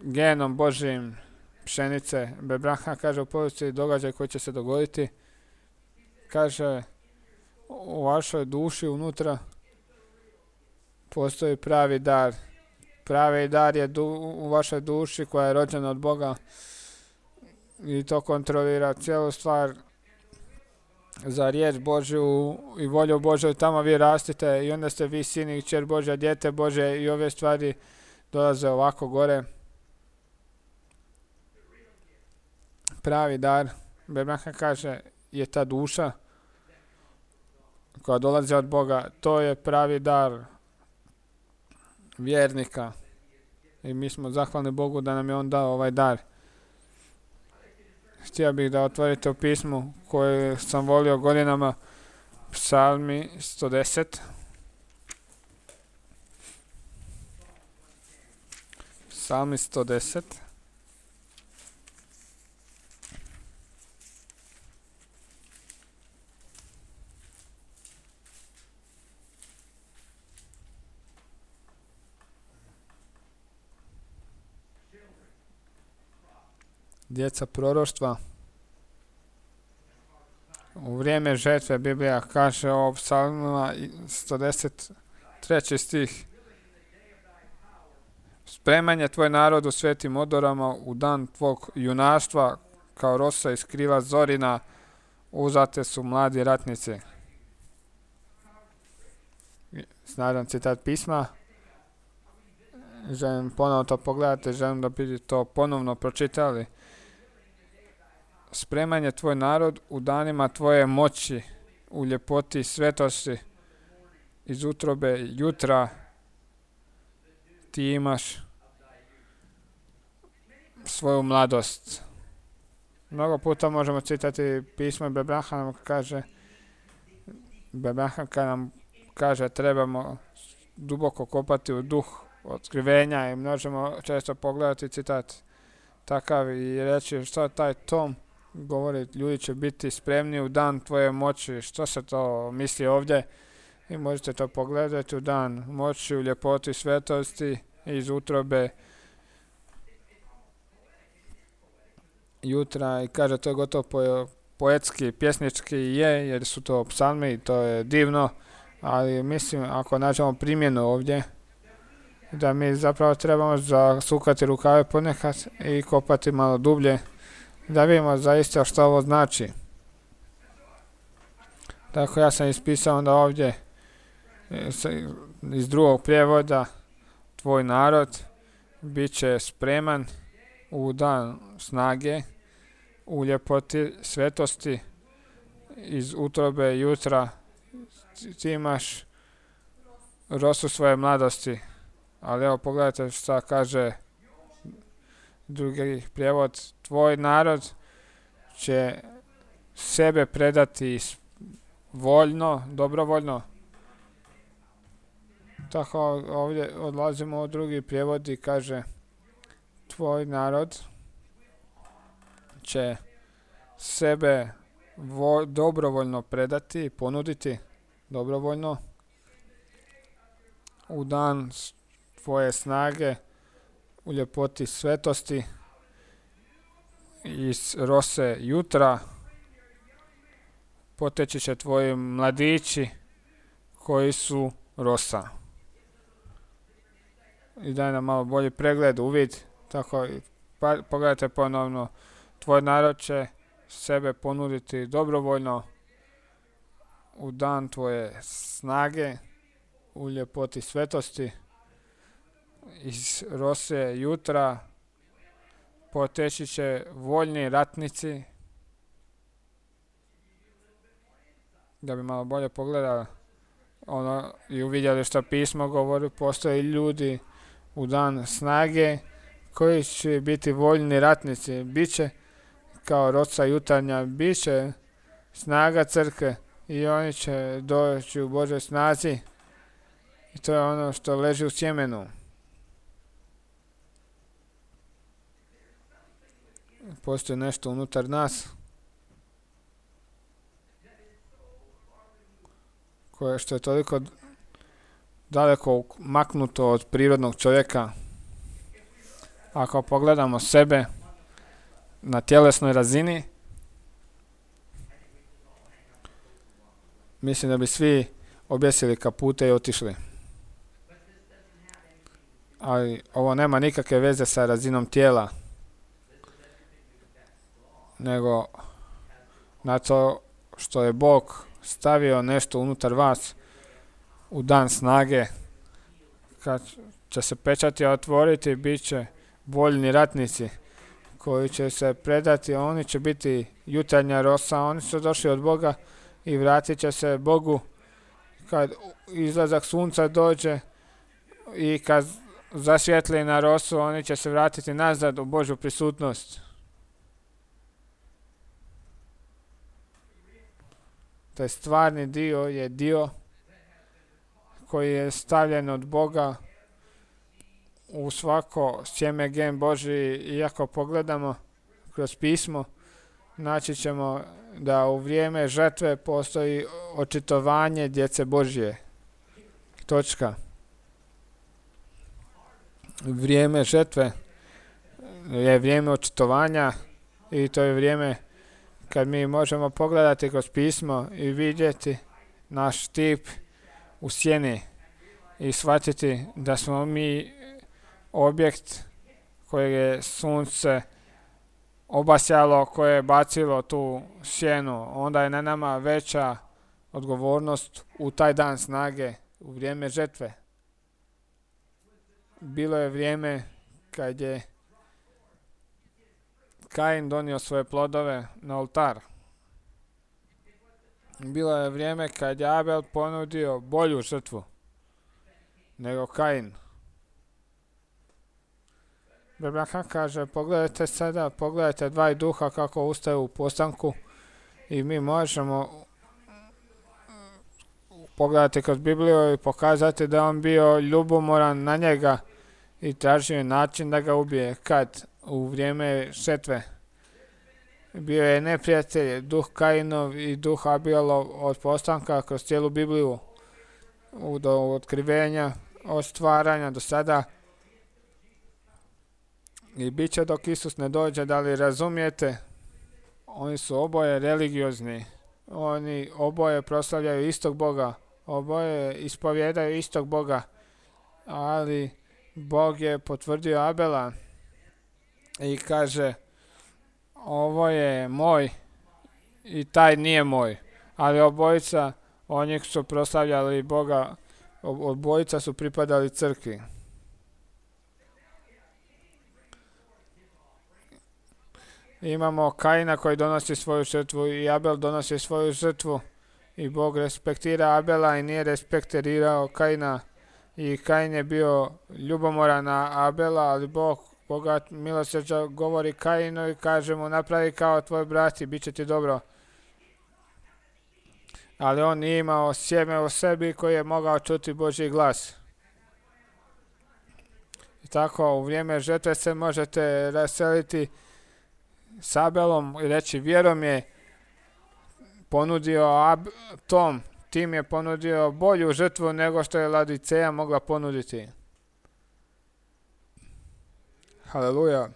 genom Božjim pšenice. Abraham kaže u povijesti događaj koji će se dogoditi. Kaže, u vašoj duši unutra postoji pravi dar. Pravi dar je u vašoj duši koja je rođena od Boga i to kontrolira cijelu stvar za riječ Božju i volju Božju. Tamo vi rastite i onda ste vi sin i kćer Božja, dijete Božje i ove stvari dolaze ovako gore. Pravi dar, Abraham kaže, je ta duša koja dolazi od Boga. To je pravi dar vjernika i mi smo zahvalni Bogu da nam je on dao ovaj dar. Htio bih da otvorite u pismu koje sam volio godinama, Psalmi 110. Psalmi 110. Djeca proroštva. U vrijeme žetve Biblija kaže o psalmima 110. stih. Spreman je tvoj narod u svetim odorama u dan tvog junaštva, kao rosa iz krila zorina, uzate su mladi ratnici. Snažan citat pisma. Želim ponovno to pogledati, želim da bi to ponovno pročitali. Spreman je tvoj narod u danima tvoje moći, u ljepoti svetosti, iz utrobe jutra ti imaš svoju mladost. Mnogo puta možemo citati pismo i Abraham kaže, kad nam kaže trebamo duboko kopati u duh otkrivenja i možemo često pogledati citat takav i reći što taj tom govori, ljudi će biti spremni u dan tvoje moći. Što se to misli ovdje? I možete to pogledati u dan moći, u ljepoti svetosti, iz utrobe jutra. I kaže, to je gotovo poetski, pjesnički je, jer su to psalmi i to je divno, ali mislim ako nađemo primjenu ovdje, da mi zapravo trebamo zasukati rukave ponekad i kopati malo dublje, da vidimo zaista što ovo znači. Tako ja sam ispisao onda ovdje iz drugog prijevoda, tvoj narod bit će spreman u dan snage, u ljepoti svetosti, iz utrobe jutra ti imaš rosu svoje mladosti. Ali evo pogledajte šta kaže drugi prijevod. Tvoj narod će sebe predati voljno, dobrovoljno. Tako ovdje odlazimo u drugi prijevod i kaže tvoj narod će sebe dobrovoljno predati, ponuditi dobrovoljno u dan tvoje snage, u ljepoti svetosti, iz rose jutra poteći će tvoji mladići koji su rosa. i daje nam malo bolji pregled, uvid. Tako, pogledajte ponovno, tvoj narod će sebe ponuditi dobrovoljno u dan tvoje snage, u ljepoti svetosti, iz rose jutra poteći će voljni ratnici. Da bi malo bolje pogledali i uvidjeli što pismo govori, postoje ljudi u dan snage koji će biti voljni ratnici. Biće kao rosa jutarnja, biće snaga crkve i oni će doći u Božoj snazi. I to je ono što leži u sjemenu. Postoji nešto unutar nas koje što je toliko daleko maknuto od prirodnog čovjeka. Ako pogledamo sebe na tjelesnoj razini, mislim da bi svi objesili kapute i otišli. Ali ovo nema nikakve veze sa razinom tijela, nego na to što je Bog stavio nešto unutar vas u dan snage. Kad će se pečati otvoriti, bit će voljni ratnici koji će se predati, oni će biti jutarnja rosa, oni su došli od Boga i vratit će se Bogu kad izlazak sunca dođe i kad zasvijetli na rosu, oni će se vratiti nazad u Božju prisutnost. Taj stvarni dio je dio koji je stavljen od Boga u svako sjeme gen Božji. I ako pogledamo kroz pismo, naći ćemo da u vrijeme žetve postoji očitovanje djece Božje. Točka. Vrijeme žetve je vrijeme očitovanja i to je vrijeme kad mi možemo pogledati kroz pismo i vidjeti naš tip u sjeni i shvatiti da smo mi objekt kojeg je sunce obasjalo, koje je bacilo tu sjenu. Onda je na nama veća odgovornost u taj dan snage, u vrijeme žetve. Bilo je vrijeme kad je Kain donio svoje plodove na oltar. Bilo je vrijeme kad je Abel ponudio bolju žrtvu nego Kain. Biblia kaže, pogledajte sada, pogledajte dva duha kako ustaju u postanku i mi možemo pogledati kroz Bibliju i pokazati da on bio ljubomoran na njega i tražio način da ga ubije. Kad? U vrijeme žetve. Bio je neprijatelj, duh Kainov i duh Abelov od postanka kroz cijelu Bibliju, do otkrivenja, od stvaranja do sada. I bit će dok Isus ne dođe, da li razumijete? Oni su oboje religiozni. Oni oboje proslavljaju istog Boga. Oboje ispovjedaju istog Boga. Ali Bog je potvrdio Abela i kaže, ovo je moj i taj nije moj. Ali obojica, oni su proslavljali Boga, obojica su pripadali crkvi. Imamo Kaina koji donosi svoju žrtvu i Abel donosi svoju žrtvu i Bog respektira Abela i nije respektirao Kaina. I Kain je bio ljubomoran na Abela, ali Bog, bogat milosrđa, govori Kainu i kaže mu, napravi kao tvoj brat i bit će ti dobro. Ali on nije imao sjeme u sebi koji je mogao čuti Božji glas. I tako u vrijeme žetve se možete raseliti s Abelom i reći, vjerom je ponudio Tim je ponudio bolju žrtvu nego što je Laodiceja mogla ponuditi. Haleluja.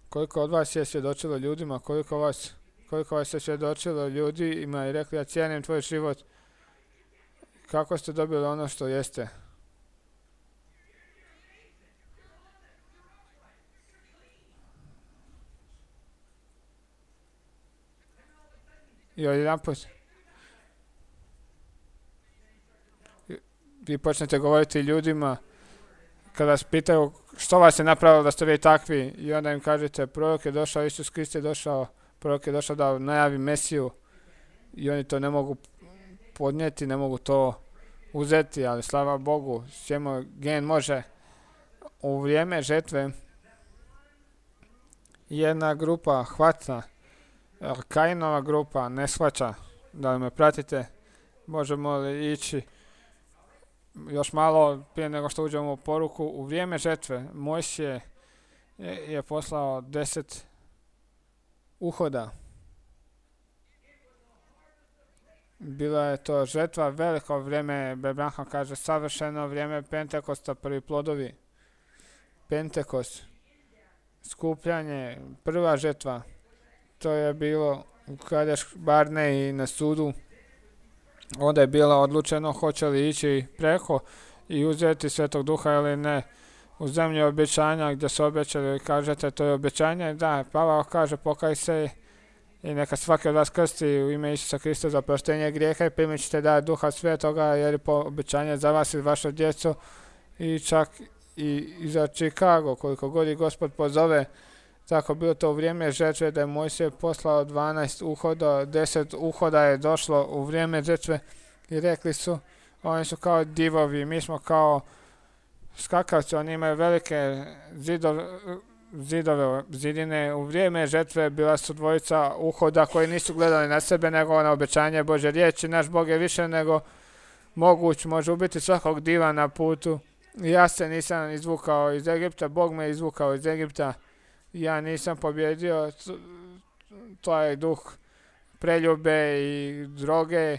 Koliko od vas je svjedočilo ljudima, koliko vas je svjedočilo ljudima i rekli, ja cijenim tvoj život. Kako ste dobili ono što jeste? I odjedanput vi počnete govoriti ljudima kada vas pitaju što vas je napravilo da ste vi takvi, i onda im kažete prorok je došao, Isus Krist je došao, prorok je došao da najavi Mesiju, i oni to ne mogu podnijeti, ne mogu to uzeti, ali slava Bogu, svemu gen može. U vrijeme žetve jedna grupa hvata, Kainova grupa ne shvaća. Da li me pratite? Možemo li ići još malo prije nego što uđemo u poruku? U vrijeme žetve Mojsije je poslao 10 uhoda. Bila je to žetva, veliko vrijeme, Branham kaže savršeno vrijeme Pentekosta, prvi plodovi. Pentekost, skupljanje, prva žetva, to je bilo u Kadeš Barne i na sudu. Onda je bilo odlučeno hoće li ići preko i uzeti Svetog Duha ili ne. U zemlji obećanja gdje su obećali, kažete to je obećanje, da, Pavao kaže pokaj se i neka svaki od vas krsti u ime Isusa Krista za oproštenje grijeha i primit ćete dar Duha Svetoga, jer je po obećanje za vas i vašu djecu, i čak i za Chicago, koliko god i Gospod pozove. Tako bilo to u vrijeme žetve da je Mojsije poslao 12 uhoda, 10 uhoda je došlo u vrijeme žetve i rekli su, oni su kao divovi, mi smo kao skakavci, oni imaju velike zidine. U vrijeme žetve bila su dvojica uhoda koji nisu gledali na sebe nego na obećanje Božje riječi. Naš Bog je više nego moguć, može ubiti svakog diva na putu. Ja se nisam izvukao iz Egipta, Bog me izvukao iz Egipta. Ja nisam pobjedio taj duh preljube i droge.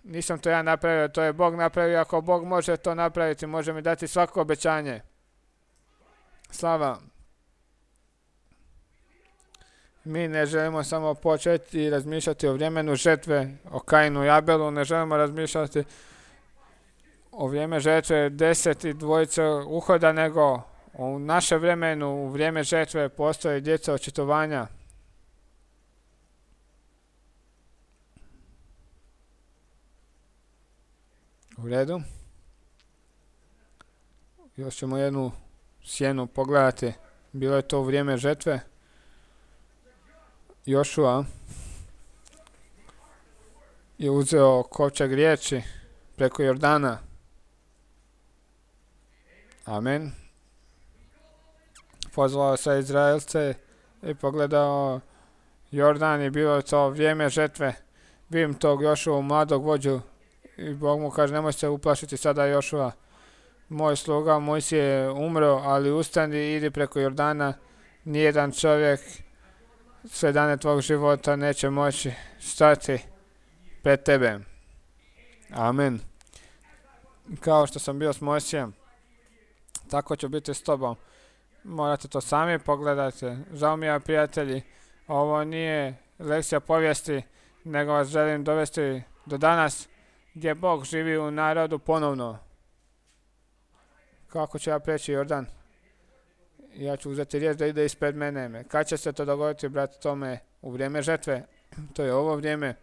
Nisam to ja napravio, to je Bog napravio. Ako Bog može to napraviti, može mi dati svako obećanje. Slava. Mi ne želimo samo početi i razmišljati o vremenu žetve, o Kainu i Abelu, ne želimo razmišljati o vrijeme žetve 10 i dvojice uhoda, nego u našem vremenu, u vrijeme žetve postoje djeca očitovanja. U redu. Još ćemo jednu sjenu pogledati. Bilo je to u vrijeme žetve. Jošua je uzeo kovčeg riječi preko Jordana. Amen. Pozvao se Izraelce i pogledao Jordan i bilo je to vrijeme žetve. Vidim tog Jošua, mladog vođu, i Bog mu kaže nemoj se uplašiti sada Jošua. Moj sluga Mojsije je umro, ali ustani i idi preko Jordana. Nijedan čovjek sve dane tvog života neće moći stati pred tebe. Amen. Kao što sam bio s Mojsijem, tako ću biti s tobom. Morate to sami pogledati. Žao mi je, prijatelji, ovo nije lekcija povijesti, nego vas želim dovesti do danas gdje Bog živi u narodu ponovno. Kako ću ja preći Jordan? Ja ću uzeti riječ da ide ispred mene. Kad će se to dogoditi, brat Tome? U vrijeme žetve. To je ovo vrijeme.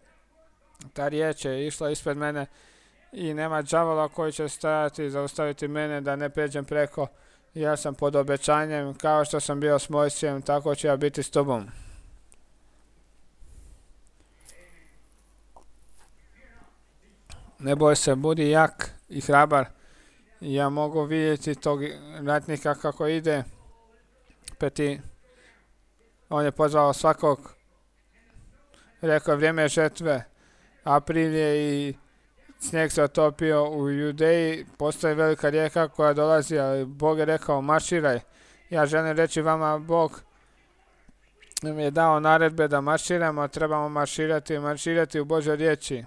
Ta riječ je išla ispred mene i nema đavola koji će stajati i zaustaviti mene da ne pređem preko. Ja sam pod obećanjem, kao što sam bio s Mojsijem, tako ću ja biti s tobom. Ne boj se, budi jak i hrabar. Ja mogu vidjeti tog ratnika kako ide. Peti, on je pozvao svakog. Rekao je vrijeme žetve. April je i snijeg se otopio u Judeji. Postoji velika rijeka koja dolazi, ali Bog je rekao marširaj. Ja želim reći vama, Bog nam je dao naredbe da marširamo, trebamo marširati u Božoj riječi.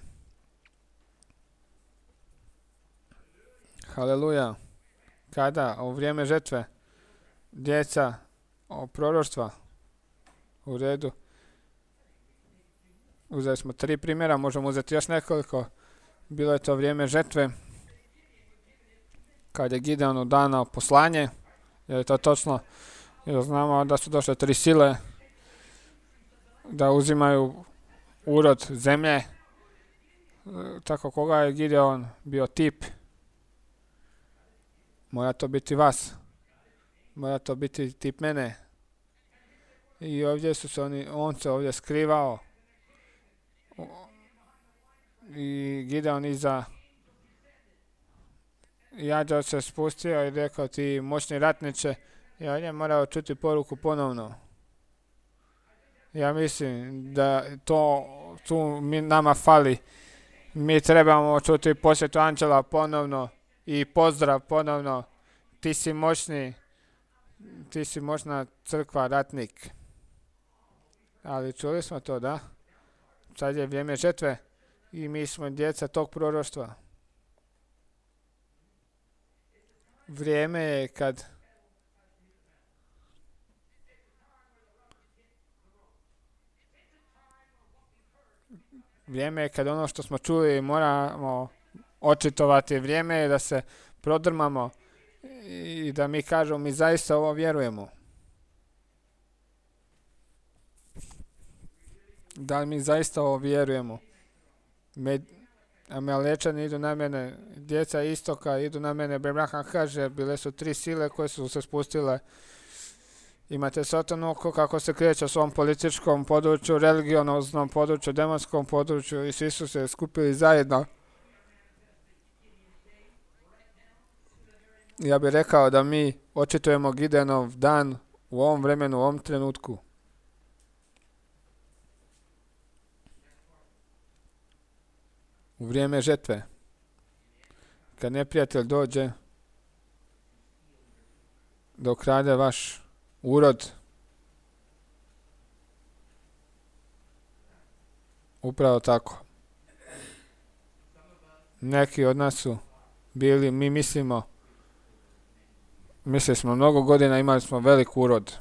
Haleluja. Kada? U vrijeme žetve. Djeca o proroštva. U redu. Uzeli smo 3 primjera, možemo uzeti još nekoliko. Bilo je to vrijeme žetve. Kad je Gideonu dano poslanje. Je li to točno? Jer znamo da su došle 3 sile da uzimaju urod zemlje, tako koga je Gideon bio tip. Mora to biti vas. Mora to biti tip mene. I ovdje su se on se ovdje skrivao. I Gideon iza Anđeo se spustio i rekao ti moćni ratniče, i on je morao čuti poruku ponovno. Ja mislim da tu nama fali. Mi trebamo čuti posjetu anđela ponovno i pozdrav ponovno. Ti si moćni, ti si moćna crkva, ratnik. Ali čuli smo to, da? Sad je vrijeme žetve i mi smo djeca tog proroštva. Vrijeme je kad ono što smo čuli moramo očitovati. Vrijeme je da se prodrmamo i da mi kažemo mi zaista ovo vjerujemo. Da li mi zaista ovo vjerujemo? Amalečani idu na mene, djeca istoka idu na mene. Abraham kaže, bile su 3 sile koje su se spustile. Imate Satanu kako se kreće u svom političkom području, religionoznom području, demonskom području i svi su se skupili zajedno. Ja bih rekao da mi očitujemo Gideonov dan u ovom vremenu, u ovom trenutku. U vrijeme žetve. Kad neprijatelj dođe da ukrade vaš urod, upravo tako. Neki od nas su bili, mislili smo mnogo godina, imali smo velik urod.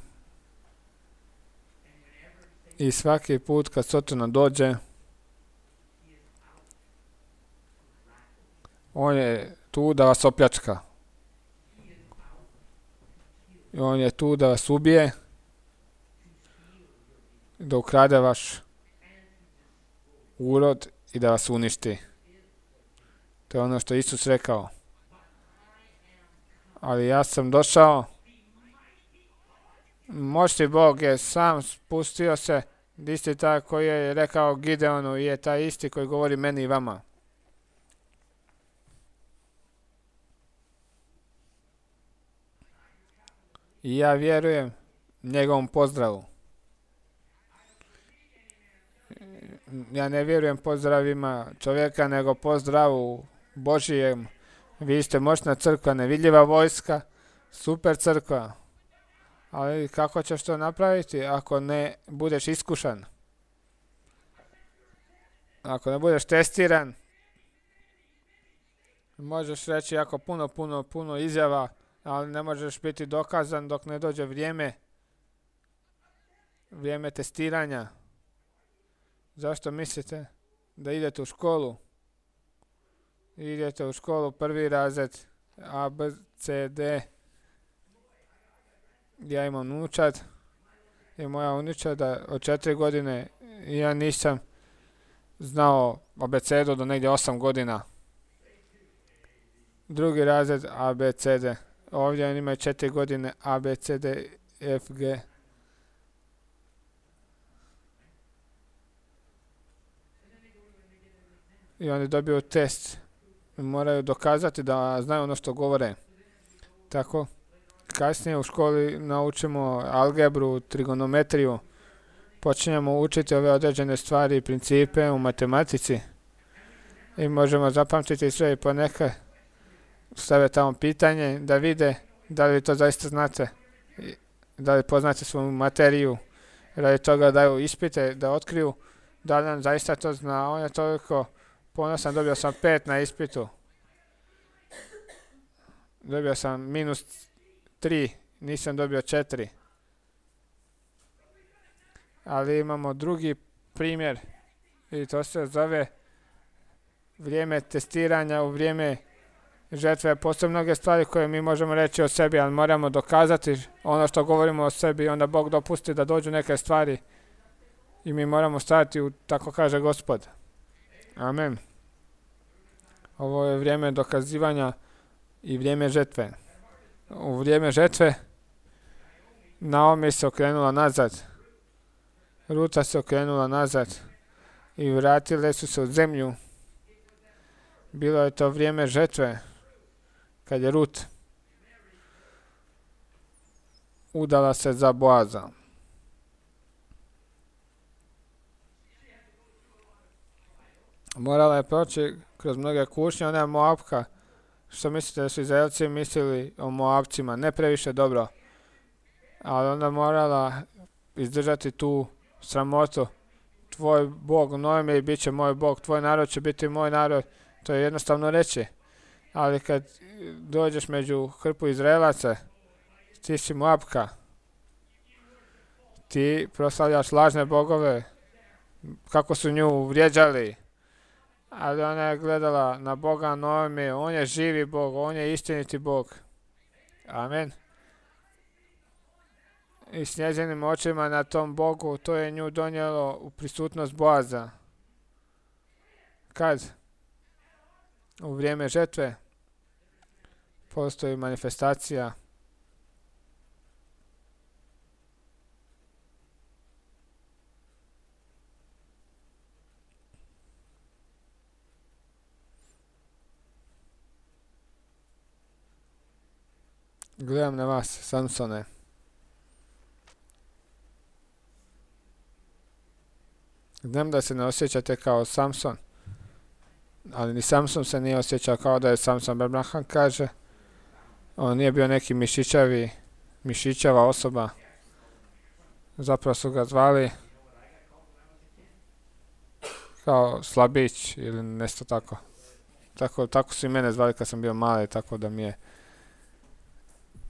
I svaki put kad Satana dođe, on je tu da vas opljačka. I on je tu da vas ubije, da ukrade vaš urod i da vas uništi. To je ono što je Isus rekao. Ali ja sam došao, moćni Bog je sam spustio se, isti taj koji je rekao Gideonu i je taj isti koji govori meni i vama. I ja vjerujem njegovom pozdravu. Ja ne vjerujem pozdravima čovjeka, nego pozdravu Božijem. Vi ste moćna crkva, nevidljiva vojska, super crkva. Ali kako ćeš to napraviti ako ne budeš iskušan? Ako ne budeš testiran, možeš reći jako puno izjava, ali ne možeš biti dokazan dok ne dođe vrijeme testiranja. Zašto mislite da idete u školu? Idete u školu, 1. razred, A, B, C, D. Ja imam unučad i moja unučada od 4 godine ja nisam znao abecedu do negdje 8 godina. 2. razred A, B, C, D. Ovdje oni imaju 4 godine A, B, C, D, F, G. I oni dobiju test. Moraju dokazati da znaju ono što govore. Tako, kasnije u školi naučimo algebru, trigonometriju. Počinjemo učiti ove određene stvari i principe u matematici. I možemo zapamtiti sve i ponekad stave tamo pitanje da vide da li to zaista znate. Da li poznate svoju materiju. Radi toga daju ispite da otkriju da li nam zaista to zna. On je toliko ponosan, dobio sam 5 na ispitu. Dobio sam -3, nisam dobio 4. Ali imamo drugi primjer i to se zove vrijeme testiranja u vrijeme žetve. Postoje mnoge stvari koje mi možemo reći o sebi, ali moramo dokazati ono što govorimo o sebi i onda Bog dopusti da dođu neke stvari i mi moramo stajati u, tako kaže Gospod. Amen. Ovo je vrijeme dokazivanja i vrijeme žetve. U vrijeme žetve Naomi se okrenula nazad. Ruta se okrenula nazad i vratile su se u zemlju. Bilo je to vrijeme žetve kad je Rut udala se za Boaza. Morala je proći kroz mnoge kušnje, ona je Moabka. Što mislite da su Izraelci mislili o Moabcima? Ne previše dobro. Ali onda morala izdržati tu sramotu. Tvoj Bog, Noemi, bit će moj Bog, tvoj narod će biti moj narod. To je jednostavno reći. Ali kad dođeš među hrpu Izraelaca, ti si Moabka. Ti proslavljaš lažne bogove, kako su nju vrijeđali. Ali ona je gledala na Boga Noemi, on je živi Bog, on je istiniti Bog. Amen. I s njezinim očima na tom Bogu, to je nju donijelo u prisutnost Boaza. Kad? U vrijeme žetve postoji manifestacija. Gledam na vas, Samsone. Znam da se ne osjećate kao Samson, ali ni Samson se nije osjećao kao da je Samson. Abraham kaže, on nije bio neki mišićava osoba. Zapravo su ga zvali kao slabić ili nešto tako. Tako su i mene zvali kad sam bio mali, tako da mi je,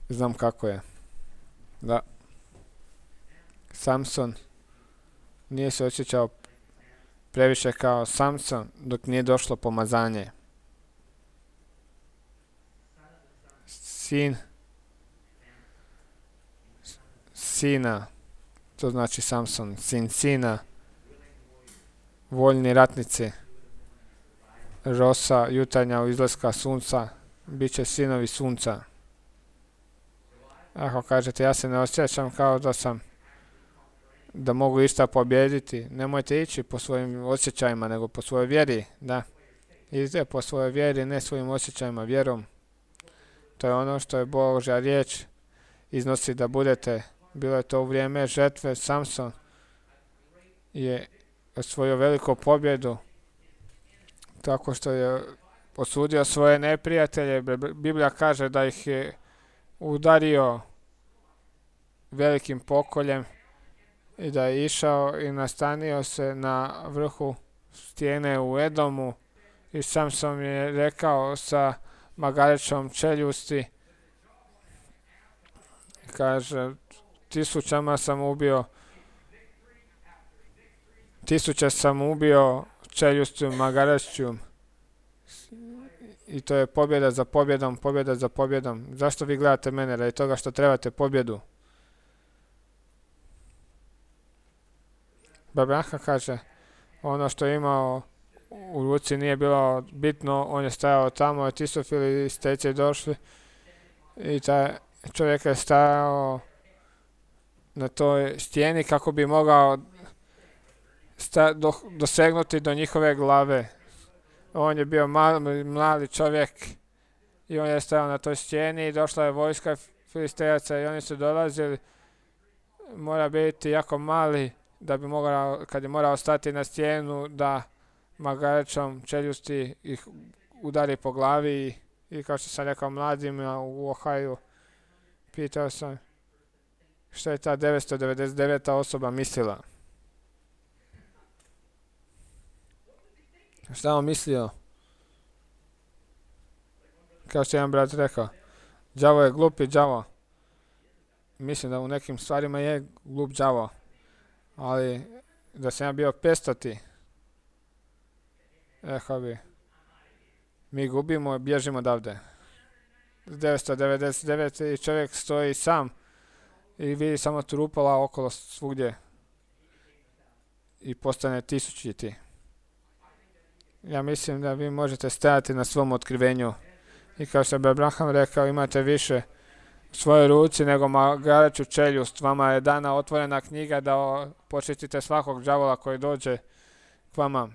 znam kako je. Da. Samson nije se osjećao previše kao Samson dok nije došlo pomazanje. Sina, to znači Samson, sin sina, voljni ratnici, rosa jutarnja u izlaska sunca, bit će sinovi sunca. Ako kažete, ja se ne osjećam kao da mogu išta pobijediti, nemojte ići po svojim osjećajima, nego po svojoj vjeri, da. Idite po svojoj vjeri, ne svojim osjećajima, vjerom. To je ono što je Božja riječ iznosi da budete. Bilo je to u vrijeme žetve. Samson je osvojio veliku pobjedu tako što je osudio svoje neprijatelje. Biblija kaže da ih je udario velikim pokoljem i da je išao i nastanio se na vrhu stijene u Edomu i Samson je rekao sa magarećom čeljusti, kaže, tisuće sam ubio čeljustiju magarećom. I to je pobjeda za pobjedom, pobjeda za pobjedom. Zašto vi gledate mene? Radi toga što trebate pobjedu. Abraham kaže, ono što je imao u ruci nije bilo bitno, on je stajao tamo, ti su filistejci došli i taj čovjek je stajao na toj stijeni kako bi mogao dosegnuti do njihove glave. On je bio mladi čovjek i on je stajao na toj stijeni i došla je vojska filistejaca i oni su dolazili. Mora biti jako mali da bi mogao, kad je morao stati na stijenu, da magarećom čeljusti ih udari po glavi i kao što sam rekao mladima u Ohaju, pitao sam što je ta 999. osoba mislila. Šta on mislio? Kao što je jedan brat rekao, đavo je glupi đavo. Mislim da u nekim stvarima je glup đavo, ali da sam ja bio 500. Rekao bi, mi gubimo, bježimo odavde. 999 i čovjek stoji sam i vidi samo trupala okolo svugdje. i postane tisućiti. Ja mislim da vi možete stajati na svom otkrivenju. I kao što bi Abraham rekao, imate više u svojoj ruci nego magaraću čeljust. Vama je dana otvorena knjiga da počistite svakog đavola koji dođe k vama.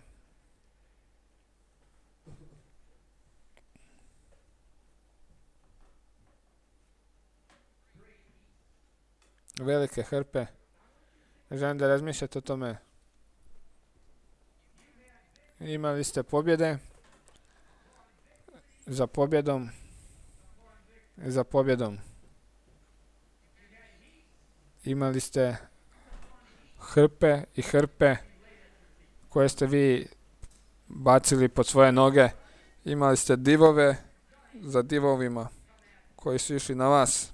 Velike hrpe. Želim da razmišljate o tome. Imali ste pobjede za pobjedom i za pobjedom. Imali ste hrpe i hrpe koje ste vi bacili pod svoje noge. Imali ste divove za divovima koji su išli na vas.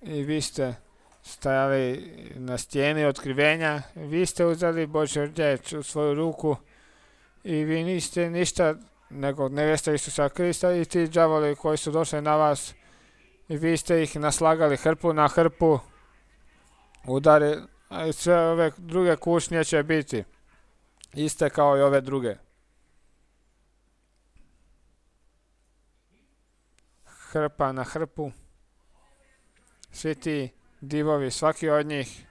I vi ste stajali na stijeni otkrivenja, vi ste uzeli Božju riječ u svoju ruku i vi niste ništa nego nevjesta Isusa Krista i ti đavoli koji su došli na vas i vi ste ih naslagali hrpu na hrpu, udari, a sve ove druge kušnje će biti iste kao i ove druge. Hrpa na hrpu. Svi ti divovi, svaki od njih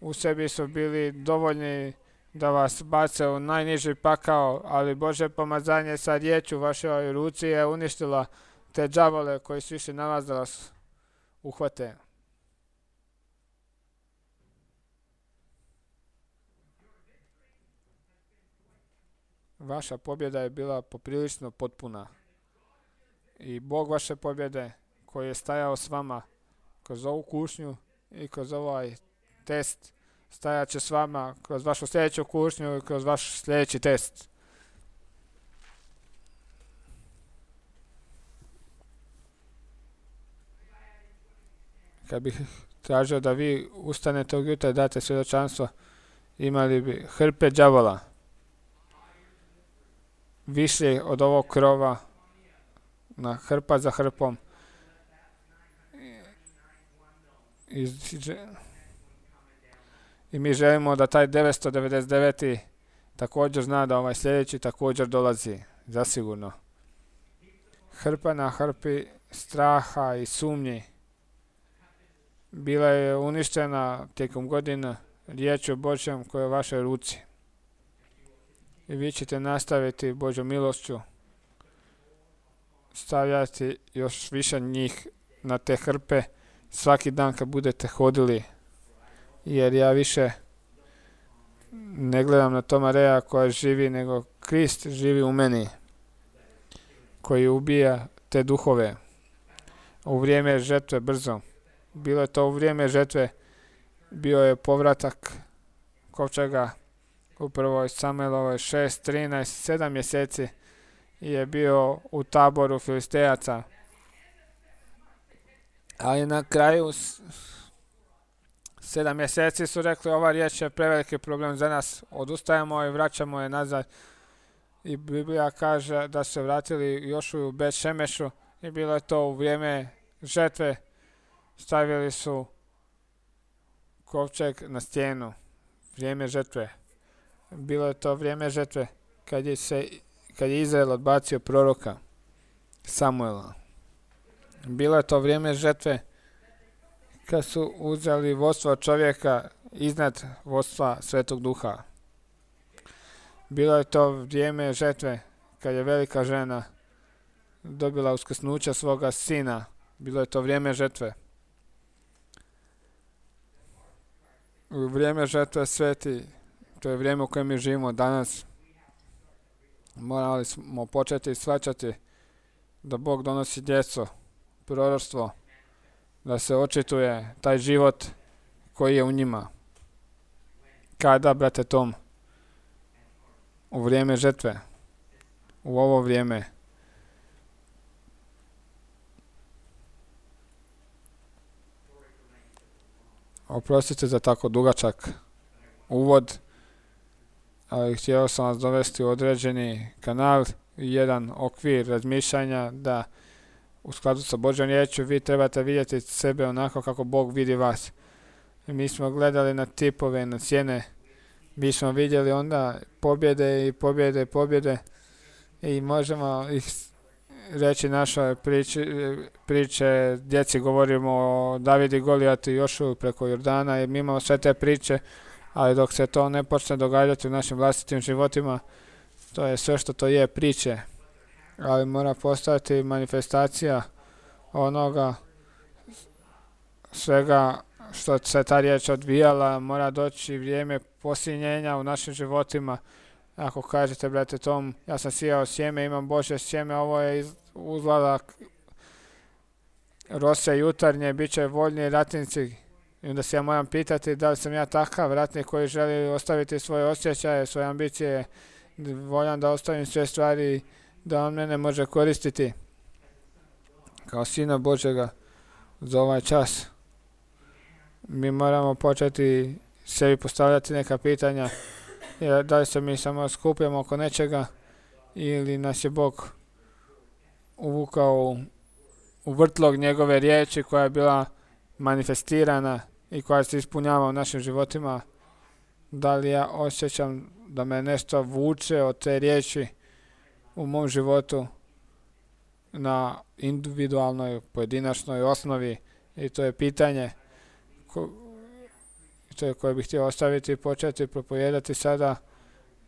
u sebi su bili dovoljni da vas bace u najniži pakao, ali Božje pomazanje sa riječju u vašoj ruci je uništila te đavole koji su išli na vas da vas uhvate. Vaša pobjeda je bila poprilično potpuna i Bog vaše pobjede koji je stajao s vama kroz ovu kušnju i kroz ovaj test, stajat će s vama kroz vašu sljedeću kušnju i kroz vaš sljedeći test. Kad bih tražio da vi ustanete od jutra i date svjedočanstvo, imali bi hrpe đavola više od ovog krova, na hrpa za hrpom. I mi želimo da taj 999. također zna da ovaj sljedeći također dolazi, zasigurno. Hrpa na hrpi straha i sumnji bila je uništena tijekom godina riječju Božjom koja je u vašoj ruci. I vi ćete nastaviti Božjom milošću stavljati još više njih na te hrpe svaki dan kad budete hodili, jer ja više ne gledam na Tomareja koja živi, nego Krist živi u meni, koji ubija te duhove. U vrijeme žetve brzo. Bilo je to u vrijeme žetve, bio je povratak kovčega u prvoj Samuelovoj 6:13, 7 mjeseci je bio u taboru Filistejaca. Ali na kraju 7 mjeseci su rekli ova riječ je preveliki problem za nas, odustajemo i vraćamo je nazad. I Biblija kaže da su se vratili Jošuju u Bet Šemešu i bilo je to u vrijeme žetve. Stavili su kovčeg na stijenu. Vrijeme žetve. Bilo je to vrijeme žetve kad je Izrael odbacio proroka Samuela. Bilo je to vrijeme žetve kad su uzeli vodstvo čovjeka iznad vodstva Svetog Duha. Bilo je to vrijeme žetve kad je velika žena dobila uskrsnuća svoga sina. Bilo je to vrijeme žetve. U vrijeme žetve sveti, to je vrijeme u kojem mi živimo danas, morali smo početi shvaćati da Bog donosi djeco, proroštvo, da se očituje taj život koji je u njima. Kada, brate Tom? U vrijeme žetve, u ovo vrijeme. Oprostite za tako dugačak uvod, ali htio sam vas dovesti u određeni kanal i jedan okvir razmišljanja da u skladu sa Božjom riječju vi trebate vidjeti sebe onako kako Bog vidi vas. I mi smo gledali na tipove, na cijene. Mi smo vidjeli onda pobjede i pobjede i pobjede. I možemo ih reći našoj priče, djeci govorimo o Davidu, Golijatu i Jošuju preko Jordana i mi imamo sve te priče, ali dok se to ne počne događati u našim vlastitim životima, to je sve što to je priče, ali mora postojati manifestacija onoga svega što se ta riječ odvijala, mora doći vrijeme posinjenja u našim životima. Ako kažete, brate Tom, ja sam sijao sjeme, imam Božje sjeme, ovo je uzlazak rose jutarnje, bit će voljni ratnici. I onda se ja moram pitati da li sam ja takav ratnik koji želi ostaviti svoje osjećaje, svoje ambicije, voljan da ostavim sve stvari, da on mene može koristiti kao Sina Božjega za ovaj čas. Mi moramo početi sebi postavljati neka pitanja, da li se mi samo skupljamo oko nečega ili nas je Bog uvukao u vrtlog njegove riječi koja je bila manifestirana i koja se ispunjava u našim životima. Da li ja osjećam da me nešto vuče od te riječi u mom životu na individualnoj, pojedinačnoj osnovi, i to je pitanje koje bih htio ostaviti i početi propovijedati sada.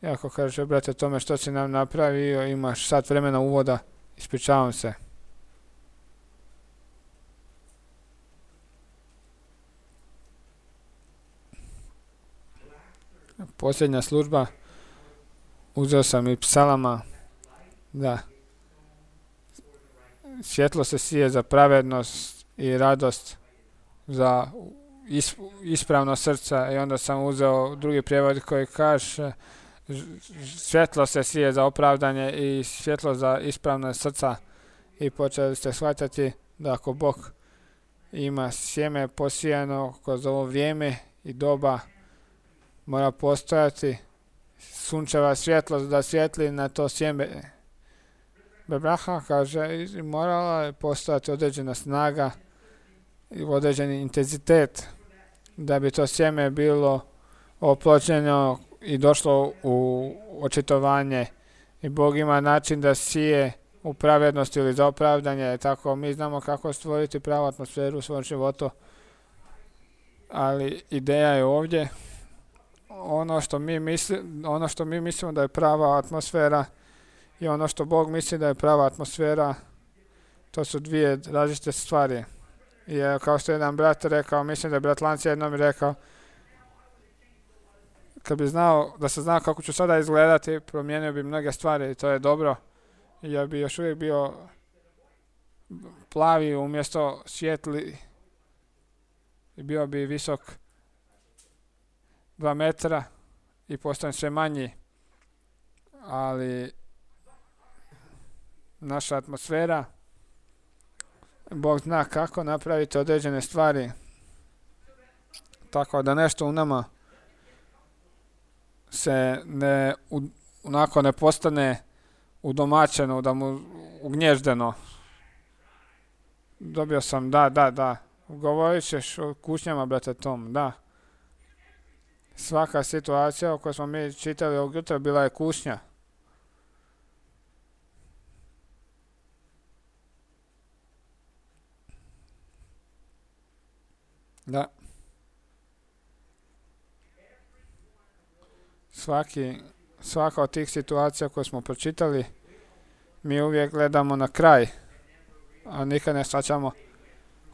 Ako kaže, brate Tome, što si nam napravio, imaš sat vremena uvoda, ispričavam se. Posljednja služba, uzeo sam i psalama, da svjetlo se sije za pravednost i radost, za ispravno srca, i onda sam uzeo drugi prijevod koji kaže svjetlo se sije za opravdanje i svjetlo za ispravno srca, i počeli ste shvatiti da ako Bog ima sjeme posijano kroz ovo vrijeme i doba, mora postojati sunčeva svjetlost da svjetli na to sjeme. Bebraha kaže, morala je postojati određena snaga i određeni intenzitet da bi to sjeme bilo oplođeno i došlo u očitovanje. I Bog ima način da sije u pravednosti ili za opravdanje. Tako mi znamo kako stvoriti pravu atmosferu u svom životu, ali ideja je ovdje ono što mi mislimo da je prava atmosfera i ono što Bog misli da je prava atmosfera, to su dvije različite stvari. I kao što je jedan brat rekao, mislim da je brat Lanci jednom rekao, kad bi znao, da se znao kako ću sada izgledati, promijenio bi mnoge stvari, i to je dobro. I ja bi još uvijek bio plavi umjesto svijetli i bio bi visok 2 metra i postajem sve manji, ali naša atmosfera, Bog zna kako napraviti određene stvari tako da nešto u nama se ne postane udomaćeno, da mu ugnježdeno. Dobio sam, da, govorit ćeš o kušnjama, brate Tom, da. Svaka situacija o kojoj smo mi čitali ovog jutra bila je kušnja. Da. Svaka od tih situacija koje smo pročitali, mi uvijek gledamo na kraj, a nikad ne shvaćamo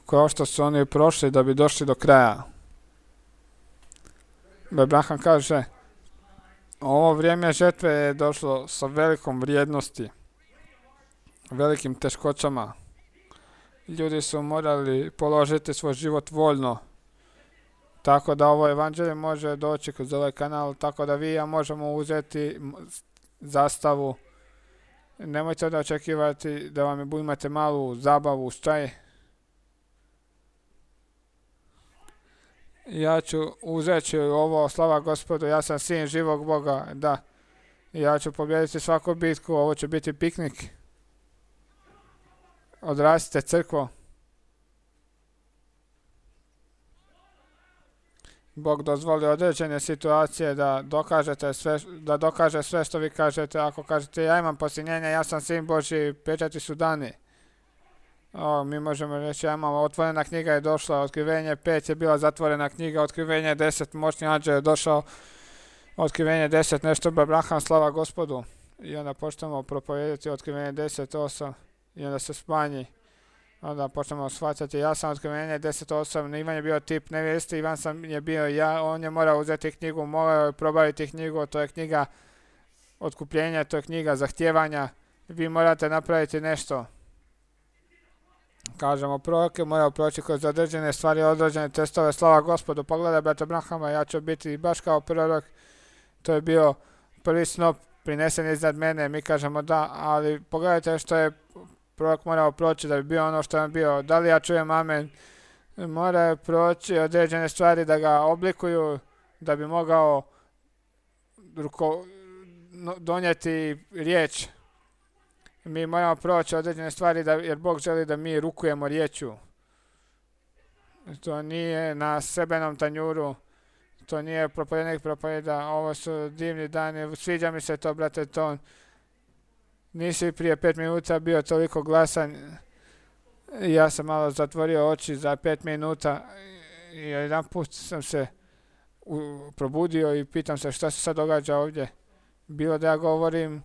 kao što su oni prošli da bi došli do kraja. Abraham kaže, ovo vrijeme žetve je došlo sa velikom vrijednosti, velikim teškoćama. Ljudi su morali položiti svoj život voljno, tako da ovo evanđelje može doći kroz ovaj kanal, tako da vi i ja možemo uzeti zastavu. Nemojte da očekivati da vam imate malu zabavu, šta je. Ja ću uzeti ovo, slava Gospodu, ja sam sin živog Boga, da. Ja ću pobijediti svaku bitku, ovo će biti piknik. Odrastite crkvo. Bog dozvoli određene situacije da dokaže sve što vi kažete. Ako kažete ja imam posljednjenje, ja sam sin Božji, pečati su dani. Mi možemo reći, ja imam otvorena knjiga je došla, otkrivenje 5 je bila zatvorena knjiga, otkrivenje 10, moćni anđeo je došao, otkrivenje 10, nešto Abraham, slava Gospodu. I onda počnemo propovedati otkrivenje 10.8 i onda se smanji. Onda počnemo shvaćati, ja sam otkrivenje 10.8, Ivan je bio tip nevjesti, Ivan sam je bio ja, on je morao uzeti knjigu, morao je probaviti knjigu, to je knjiga otkupljenja, to je knjiga zahtijevanja, vi morate napraviti nešto. Kažemo, prorok je morao proći kroz određene stvari, određene testove, slava Gospodu, pogledaj brata Abrahama, ja ću biti baš kao prorok, to je bio prvi snop prinesen iznad mene, mi kažemo da, ali pogledajte što je prorok morao proći da bi bio ono što je bio, da li ja čujem amen, mora proći određene stvari da ga oblikuju, da bi mogao donijeti riječ. Mi moramo proći određene stvari jer Bog želi da mi rukujemo riječu. To nije na sebenom tanjuru, to nije propovednik propoveda, ovo su divni dani, sviđa mi se to, brate Ton. Nisi prije 5 minuta bio toliko glasan, ja sam malo zatvorio oči za 5 minuta i jedan put sam se probudio i pitam se šta se sad događa ovdje. Bilo da ja govorim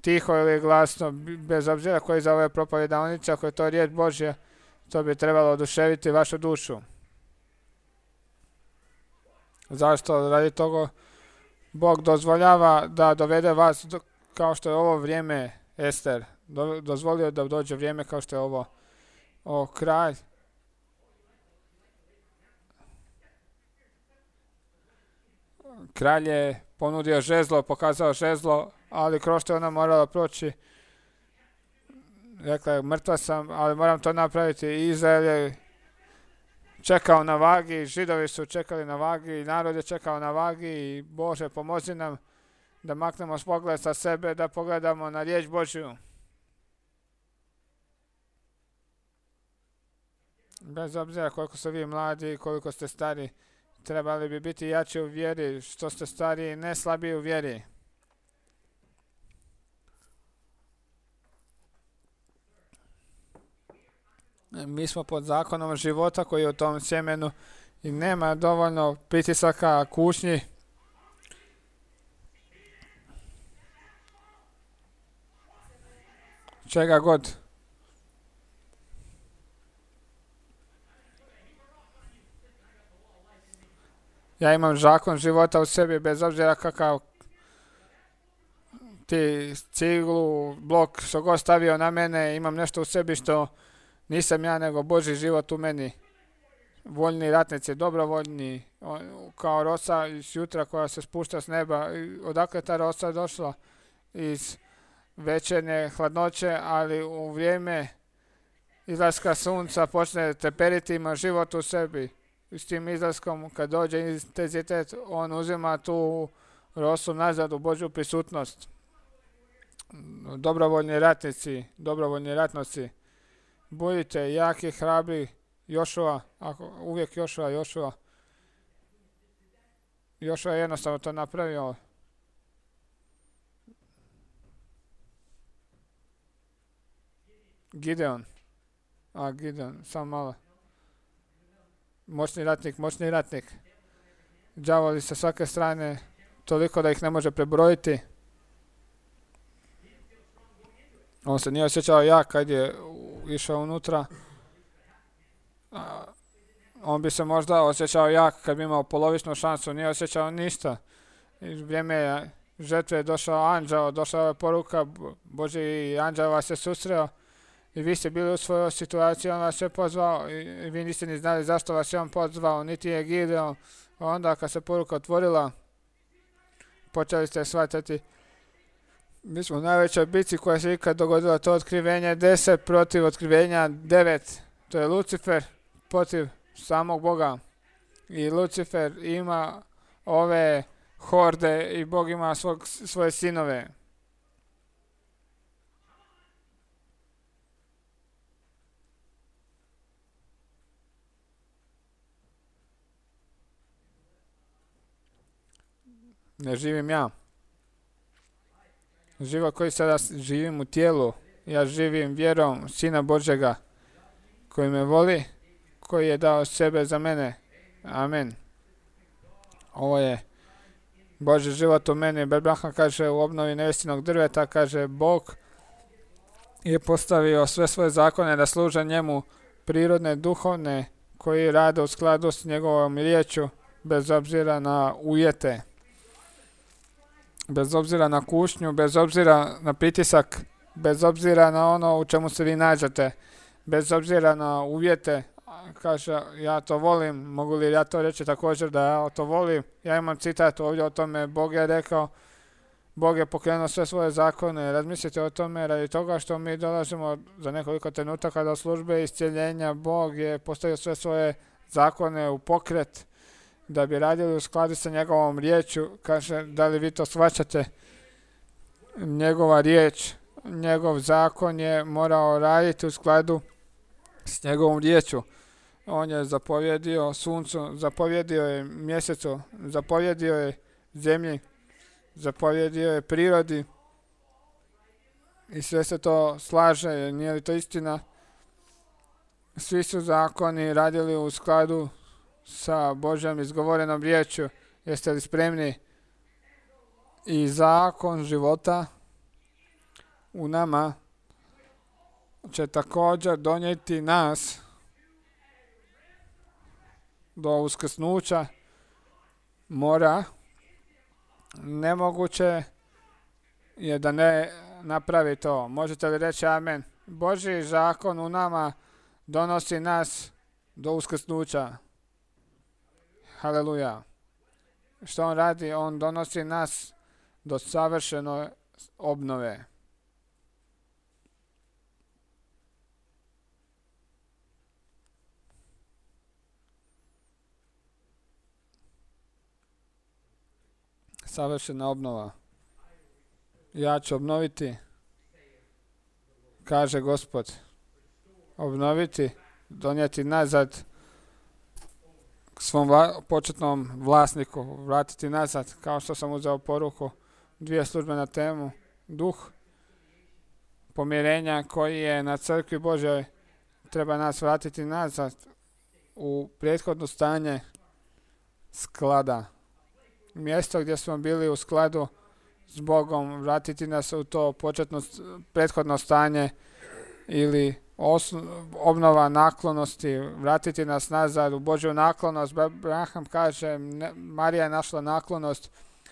tiho ili glasno, bez obzira koji za ove propovedanice, ako je to riječ Božja, to bi trebalo oduševiti vašu dušu. Zašto? Radi toga Bog dozvoljava da dovede vas kao što je ovo vrijeme, Ester. Dozvolio da dođe vrijeme kao što je ovo. Kralj. Kralj je ponudio žezlo, pokazao žezlo, ali kroz što je ona morala proći. Rekla je, mrtva sam, ali moram to napraviti. Izrael je čekao na vagi, Židovi su čekali na vagi, narod je čekao na vagi i Bože, pomozi nam da maknemo pogled sa sebe, da pogledamo na riječ Božju. Bez obzira koliko su vi mladi i koliko ste stari, trebali bi biti jači u vjeri, što ste stariji, ne slabiji u vjeri. Mi smo pod zakonom života koji je u tom sjemenu i nema dovoljno pritisaka, kušnji. Čega god. Ja imam zakon života u sebi, bez obzira kakav ti ciglu, blok, što god stavio na mene, imam nešto u sebi što nisam ja, nego Božji život u meni. Voljni ratnici, dobrovoljni, kao rosa iz jutra koja se spušta s neba. Odakle ta rosa došla? Iz večernje hladnoće, ali u vrijeme izlaska sunca počne teperiti, ima život u sebi. S tim izlaskom, kad dođe intenzitet, on uzima tu rosu nazad u Božju prisutnost. Dobrovoljni ratnici, dobrovoljni ratnici, budite jaki, hrabri, Jošua, uvijek Jošua. Jošua je jednostavno to napravio. Gideon, samo malo. Moćni ratnik. Đavoli sa svake strane, toliko da ih ne može prebrojiti. On se nije osjećao jak kad je išao unutra. On bi se možda osjećao jak kad bi imao polovičnu šansu, nije osjećao ništa. Iz vrijeme žetve je došao anđeo, došla je poruka, Božji anđeo vas je susreo i vi ste bili u svojoj situaciji, on vas je pozvao i vi niste ni znali zašto vas je on pozvao, niti je Gideon. Onda kad se poruka otvorila, počeli ste shvatiti, mi smo u najvećoj bici koja se ikad dogodila, to otkrivenje 10 protiv otkrivenja 9. To je Lucifer protiv samog Boga. I Lucifer ima ove horde i Bog ima svoje sinove. Ne živim ja. Život koji sada živim u tijelu, ja živim vjerom Sina Božjega, koji me voli, koji je dao sebe za mene. Amen. Ovo je Božji život u meni. Abraham kaže u obnovi nevestinog drveta, kaže Bog je postavio sve svoje zakone da služe njemu, prirodne, duhovne, koji rade u skladu s njegovom riječju, bez obzira na ujete, bez obzira na kušnju, bez obzira na pritisak, bez obzira na ono u čemu se vi nađete, bez obzira na uvjete. Kaže, ja to volim. Mogu li ja to reći također da ja to volim? Ja imam citat ovdje o tome. Bog je rekao, Bog je pokrenuo sve svoje zakone. Razmislite o tome radi toga što mi dolazimo za nekoliko trenutaka do službe iscjeljenja. Bog je postavio sve svoje zakone u pokret da bi radili u skladu sa njegovom riječju. Kaže, da li vi to shvaćate? Njegova riječ, njegov zakon je morao raditi u skladu s njegovom riječju. On je zapovjedio suncu, zapovjedio je mjesecu, zapovjedio je zemlji, zapovjedio je prirodi i sve se to slaže. Nije li to istina? Svi su zakoni radili u skladu sa Božjom izgovorenom riječju. Jeste li spremni? I zakon života u nama će također donijeti nas do uskrsnuća. Mora. Nemoguće je da ne napravi to. Možete li reći amen? Božji zakon u nama donosi nas do uskrsnuća. Haleluja. Što on radi? On donosi nas do savršene obnove. Savršena obnova. Ja ću obnoviti, kaže Gospod. Obnoviti, donijeti nazad k svom početnom vlasniku, vratiti nazad, kao što sam uzeo poruku, 2 službe na temu, duh pomirenja koji je na crkvi Božjoj, treba nas vratiti nazad u prethodno stanje sklada. Mjesto gdje smo bili u skladu s Bogom, vratiti nas u to prethodno stanje ili obnova naklonosti, vratiti nas nazad u Božju naklonost. Abraham kaže, Marija je našla naklonost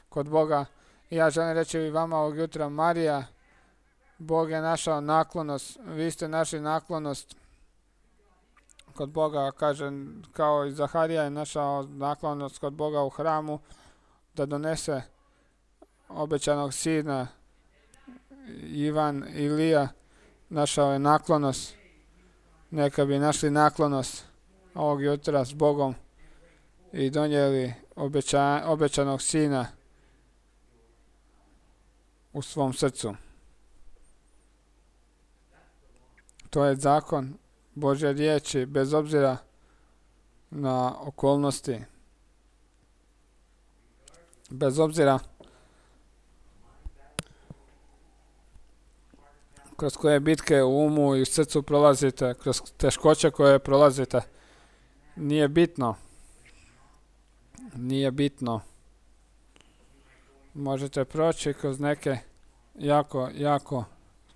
kod Boga. I ja želim reći i vama ovog jutra, Marija, Bog je našao naklonost, vi ste našli naklonost kod Boga, kaže, kao i Zaharija je našao naklonost kod Boga u hramu, da donese obećanog sina. Ivan Ilija našao je naklonost. Neka bi našli naklonost ovog jutra s Bogom i donijeli obećanog sina u svom srcu. To je zakon Božje riječi bez obzira na okolnosti. Bez obzira kroz koje bitke u umu i u srcu prolazite, kroz teškoće koje prolazite, nije bitno. Nije bitno. Možete proći kroz neke jako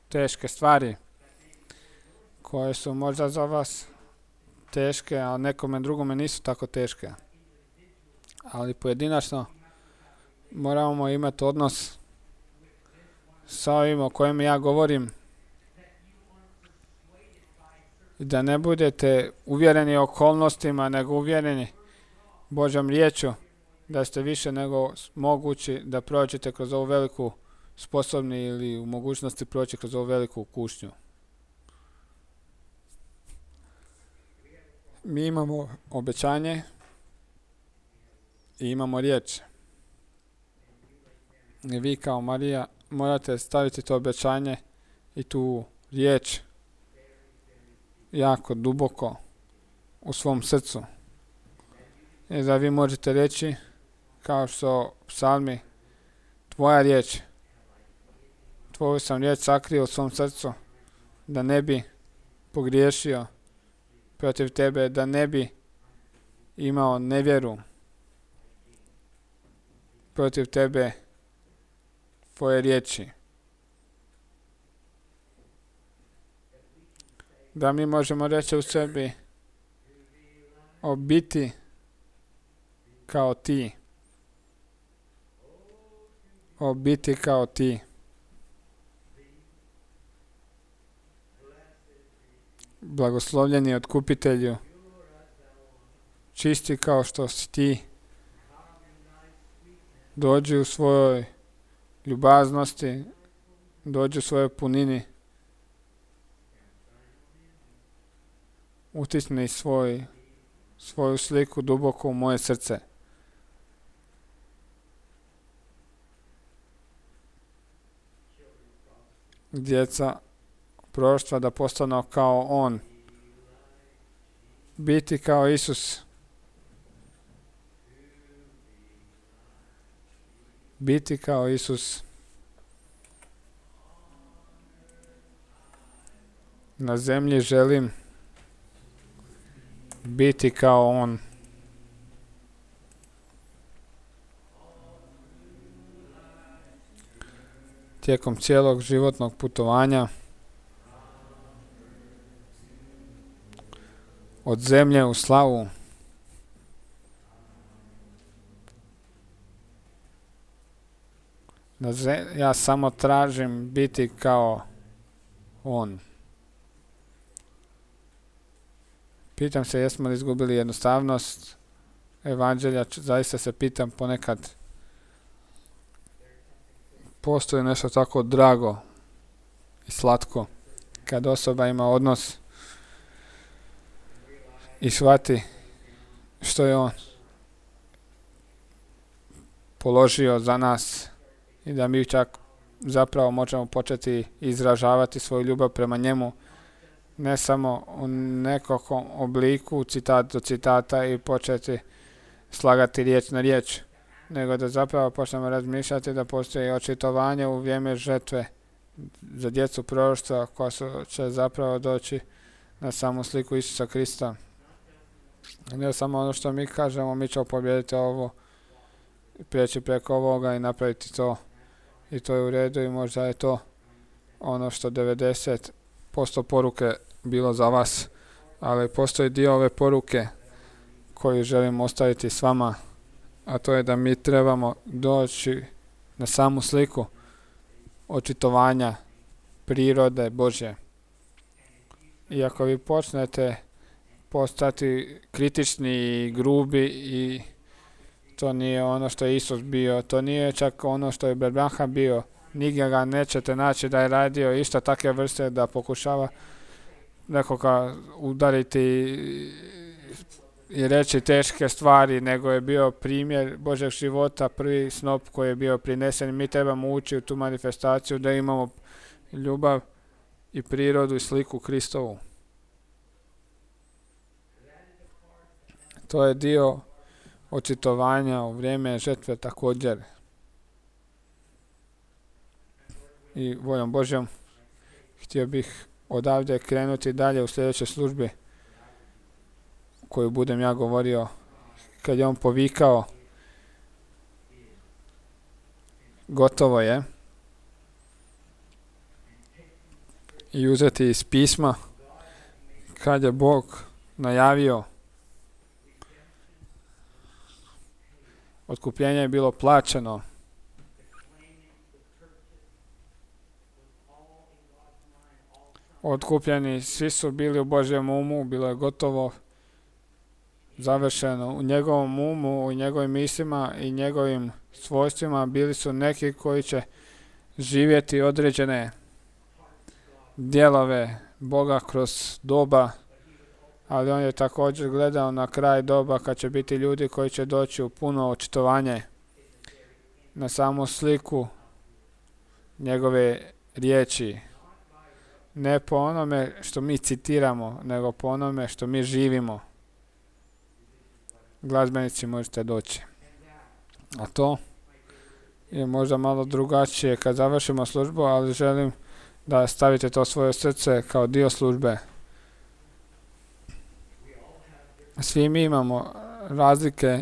teške stvari koje su možda za vas teške, a nekome drugome nisu tako teške. Ali pojedinačno moramo imati odnos sa ovim o kojem ja govorim. I da ne budete uvjereni okolnostima, nego uvjereni Božjom riječju, da ste više nego mogući da prođete kroz ovu veliku sposobni ili u mogućnosti proći kroz ovu veliku kušnju. Mi imamo obećanje i imamo riječ. I vi kao Marija morate staviti to obećanje i tu riječ jako duboko u svom srcu. I da vi možete reći, kao što psalmi tvoja riječ. Tvoju sam riječ sakrio u svom srcu, da ne bi pogriješio protiv tebe, da ne bi imao nevjeru protiv tebe, tvoje riječi. Da mi možemo reći u sebi o biti kao ti. O biti kao ti. Blagoslovljeni Otkupitelju, čisti kao što si ti, dođi u svojoj ljubaznosti, dođi u svojoj punini, utisni svoju sliku duboko u moje srce. Djeca proroštva da postanu kao on, biti kao Isus, biti kao Isus. Na zemlji želim biti kao on. Tijekom cijelog životnog putovanja od zemlje u slavu ja samo tražim biti kao on. Pitam se jesmo li izgubili jednostavnost evanđelja, zaista se pitam ponekad. Postoji nešto tako drago i slatko kad osoba ima odnos i shvati što je on položio za nas i da mi čak zapravo možemo početi izražavati svoju ljubav prema njemu, ne samo u nekakvom obliku, citat do citata i početi slagati riječ na riječ, nego da zapravo počnemo razmišljati da postoji očitovanje u vrijeme žetve za djecu proroštva koja će zapravo doći na samu sliku Isusa Krista. Ne samo ono što mi kažemo, mi ćemo pobijediti ovo, prijeći preko ovoga i napraviti to. I to je u redu i možda je to ono što 90% poruke bilo za vas. Ali postoji dio ove poruke koju želim ostaviti s vama, a to je da mi trebamo doći na samu sliku očitovanja prirode Božje. I ako vi počnete postati kritični i grubi i to nije ono što je Isus bio, to nije čak ono što je Branham bio, nigdje ga nećete naći da je radio isto takve vrste da pokušava nekoga udariti i reći teške stvari, nego je bio primjer Božeg života, prvi snop koji je bio prinesen. Mi trebamo ući u tu manifestaciju da imamo ljubav i prirodu i sliku Kristovu. To je dio očitovanja u vrijeme žetve također. I voljom Božjom htio bih odavde krenuti dalje u sljedećoj službi koju budem ja govorio kad je on povikao gotovo je i uzeti iz pisma kad je Bog najavio otkupljenje je bilo plaćeno. Otkupljeni svi su bili u Božjem umu, bilo je gotovo završeno. U njegovom umu, u njegovim mislima i njegovim svojstvima bili su neki koji će živjeti određene dijelove Boga kroz doba, ali on je također gledao na kraj doba kad će biti ljudi koji će doći u puno očitovanje na samu sliku njegove riječi. Ne po onome što mi citiramo, nego po onome što mi živimo. Glazbenici možete doći. A to je možda malo drugačije kad završimo službu, ali želim da stavite to svoje srce kao dio službe. Svi mi imamo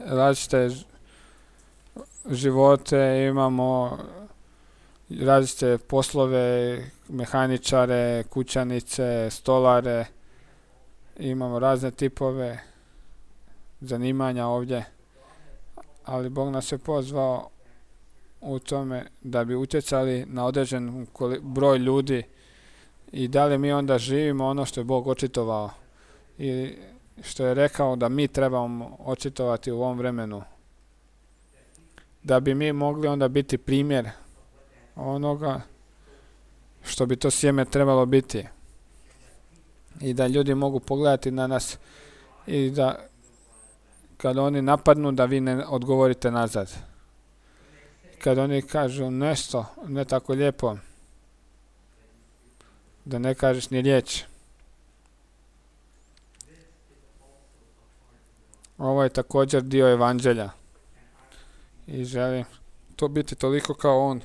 različite živote, imamo različite poslove, mehaničare, kućanice, stolare, imamo razne tipove zanimanja ovdje, ali Bog nas je pozvao u tome da bi utjecali na određen broj ljudi i da li mi onda živimo ono što je Bog očitovao i što je rekao da mi trebamo očitovati u ovom vremenu. Da bi mi mogli onda biti primjer onoga što bi to sjeme trebalo biti. I da ljudi mogu pogledati na nas i da kad oni napadnu da vi ne odgovorite nazad. Kad oni kažu nešto ne tako lijepo, da ne kažeš ni riječ. Ovo je također dio evanđelja. I želim to biti toliko kao on.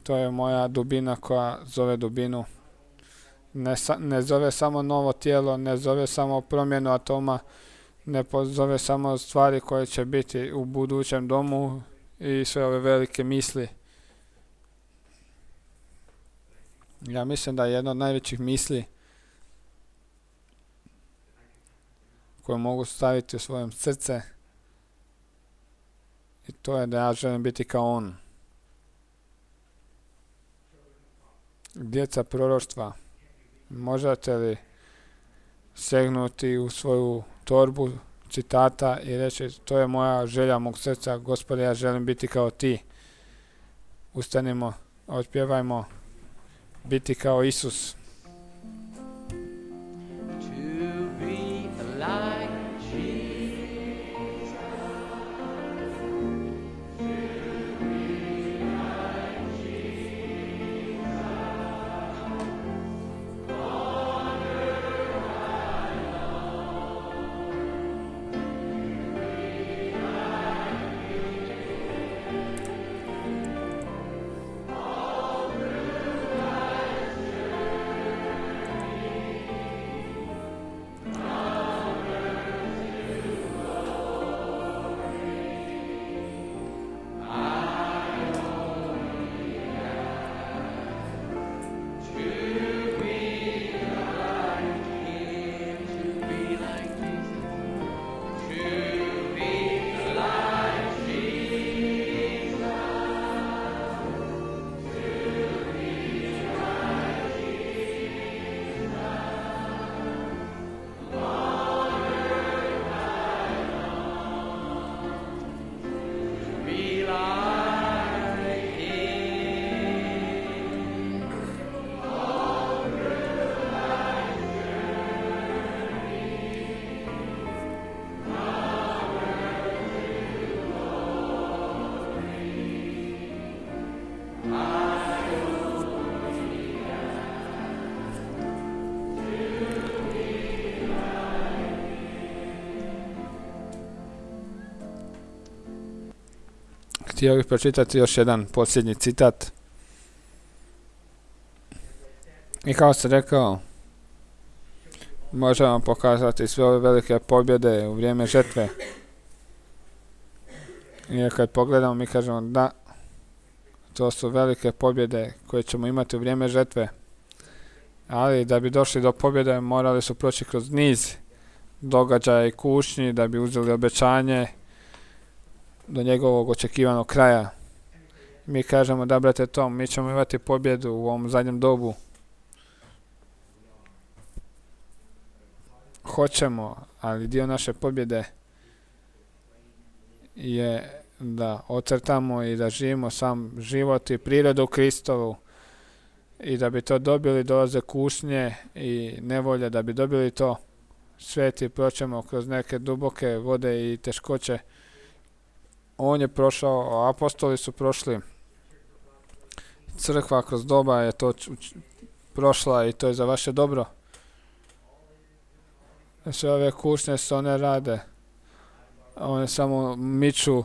To je moja dubina koja zove dubinu. Ne zove samo novo tijelo, ne zove samo promjenu atoma, ne zove samo stvari koje će biti u budućem domu i sve ove velike misli. Ja mislim da je jedna od najvećih misli koje mogu staviti u svojem srce i to je da ja želim biti kao on. Djeca proroštva, možete li segnuti u svoju torbu citata i reći to je moja želja mog srca, Gospode, ja želim biti kao ti. Ustanimo, otpjevajmo biti kao Isus. Htio bih pročitati još jedan posljednji citat. I kao sam rekao, možemo pokazati sve ove velike pobjede u vrijeme žetve. I kad pogledamo, mi kažemo da, to su velike pobjede koje ćemo imati u vrijeme žetve. Ali da bi došli do pobjede, morali su proći kroz niz događaja i kušnji, da bi uzeli obećanje do njegovog očekivanog kraja. Mi kažemo da, brate Tom, mi ćemo imati pobjedu u ovom zadnjem dobu. Hoćemo, ali dio naše pobjede je da ocrtamo i da živimo sam život i prirodu Kristovu. I da bi to dobili, dolaze kušnje i nevolje. Da bi dobili to, sveti, proćemo kroz neke duboke vode i teškoće. On je prošao, apostoli su prošli. Crkva kroz doba je to prošla i to je za vaše dobro. Sve ove kušnje se one rade. One samo miču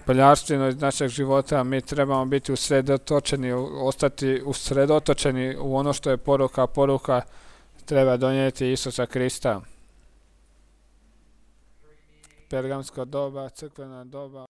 prljavštinu iz našeg života. Mi trebamo biti usredotočeni, ostati usredotočeni u ono što je poruka. Poruka treba donijeti Isusa Krista. Pergamsko doba, crkvena doba.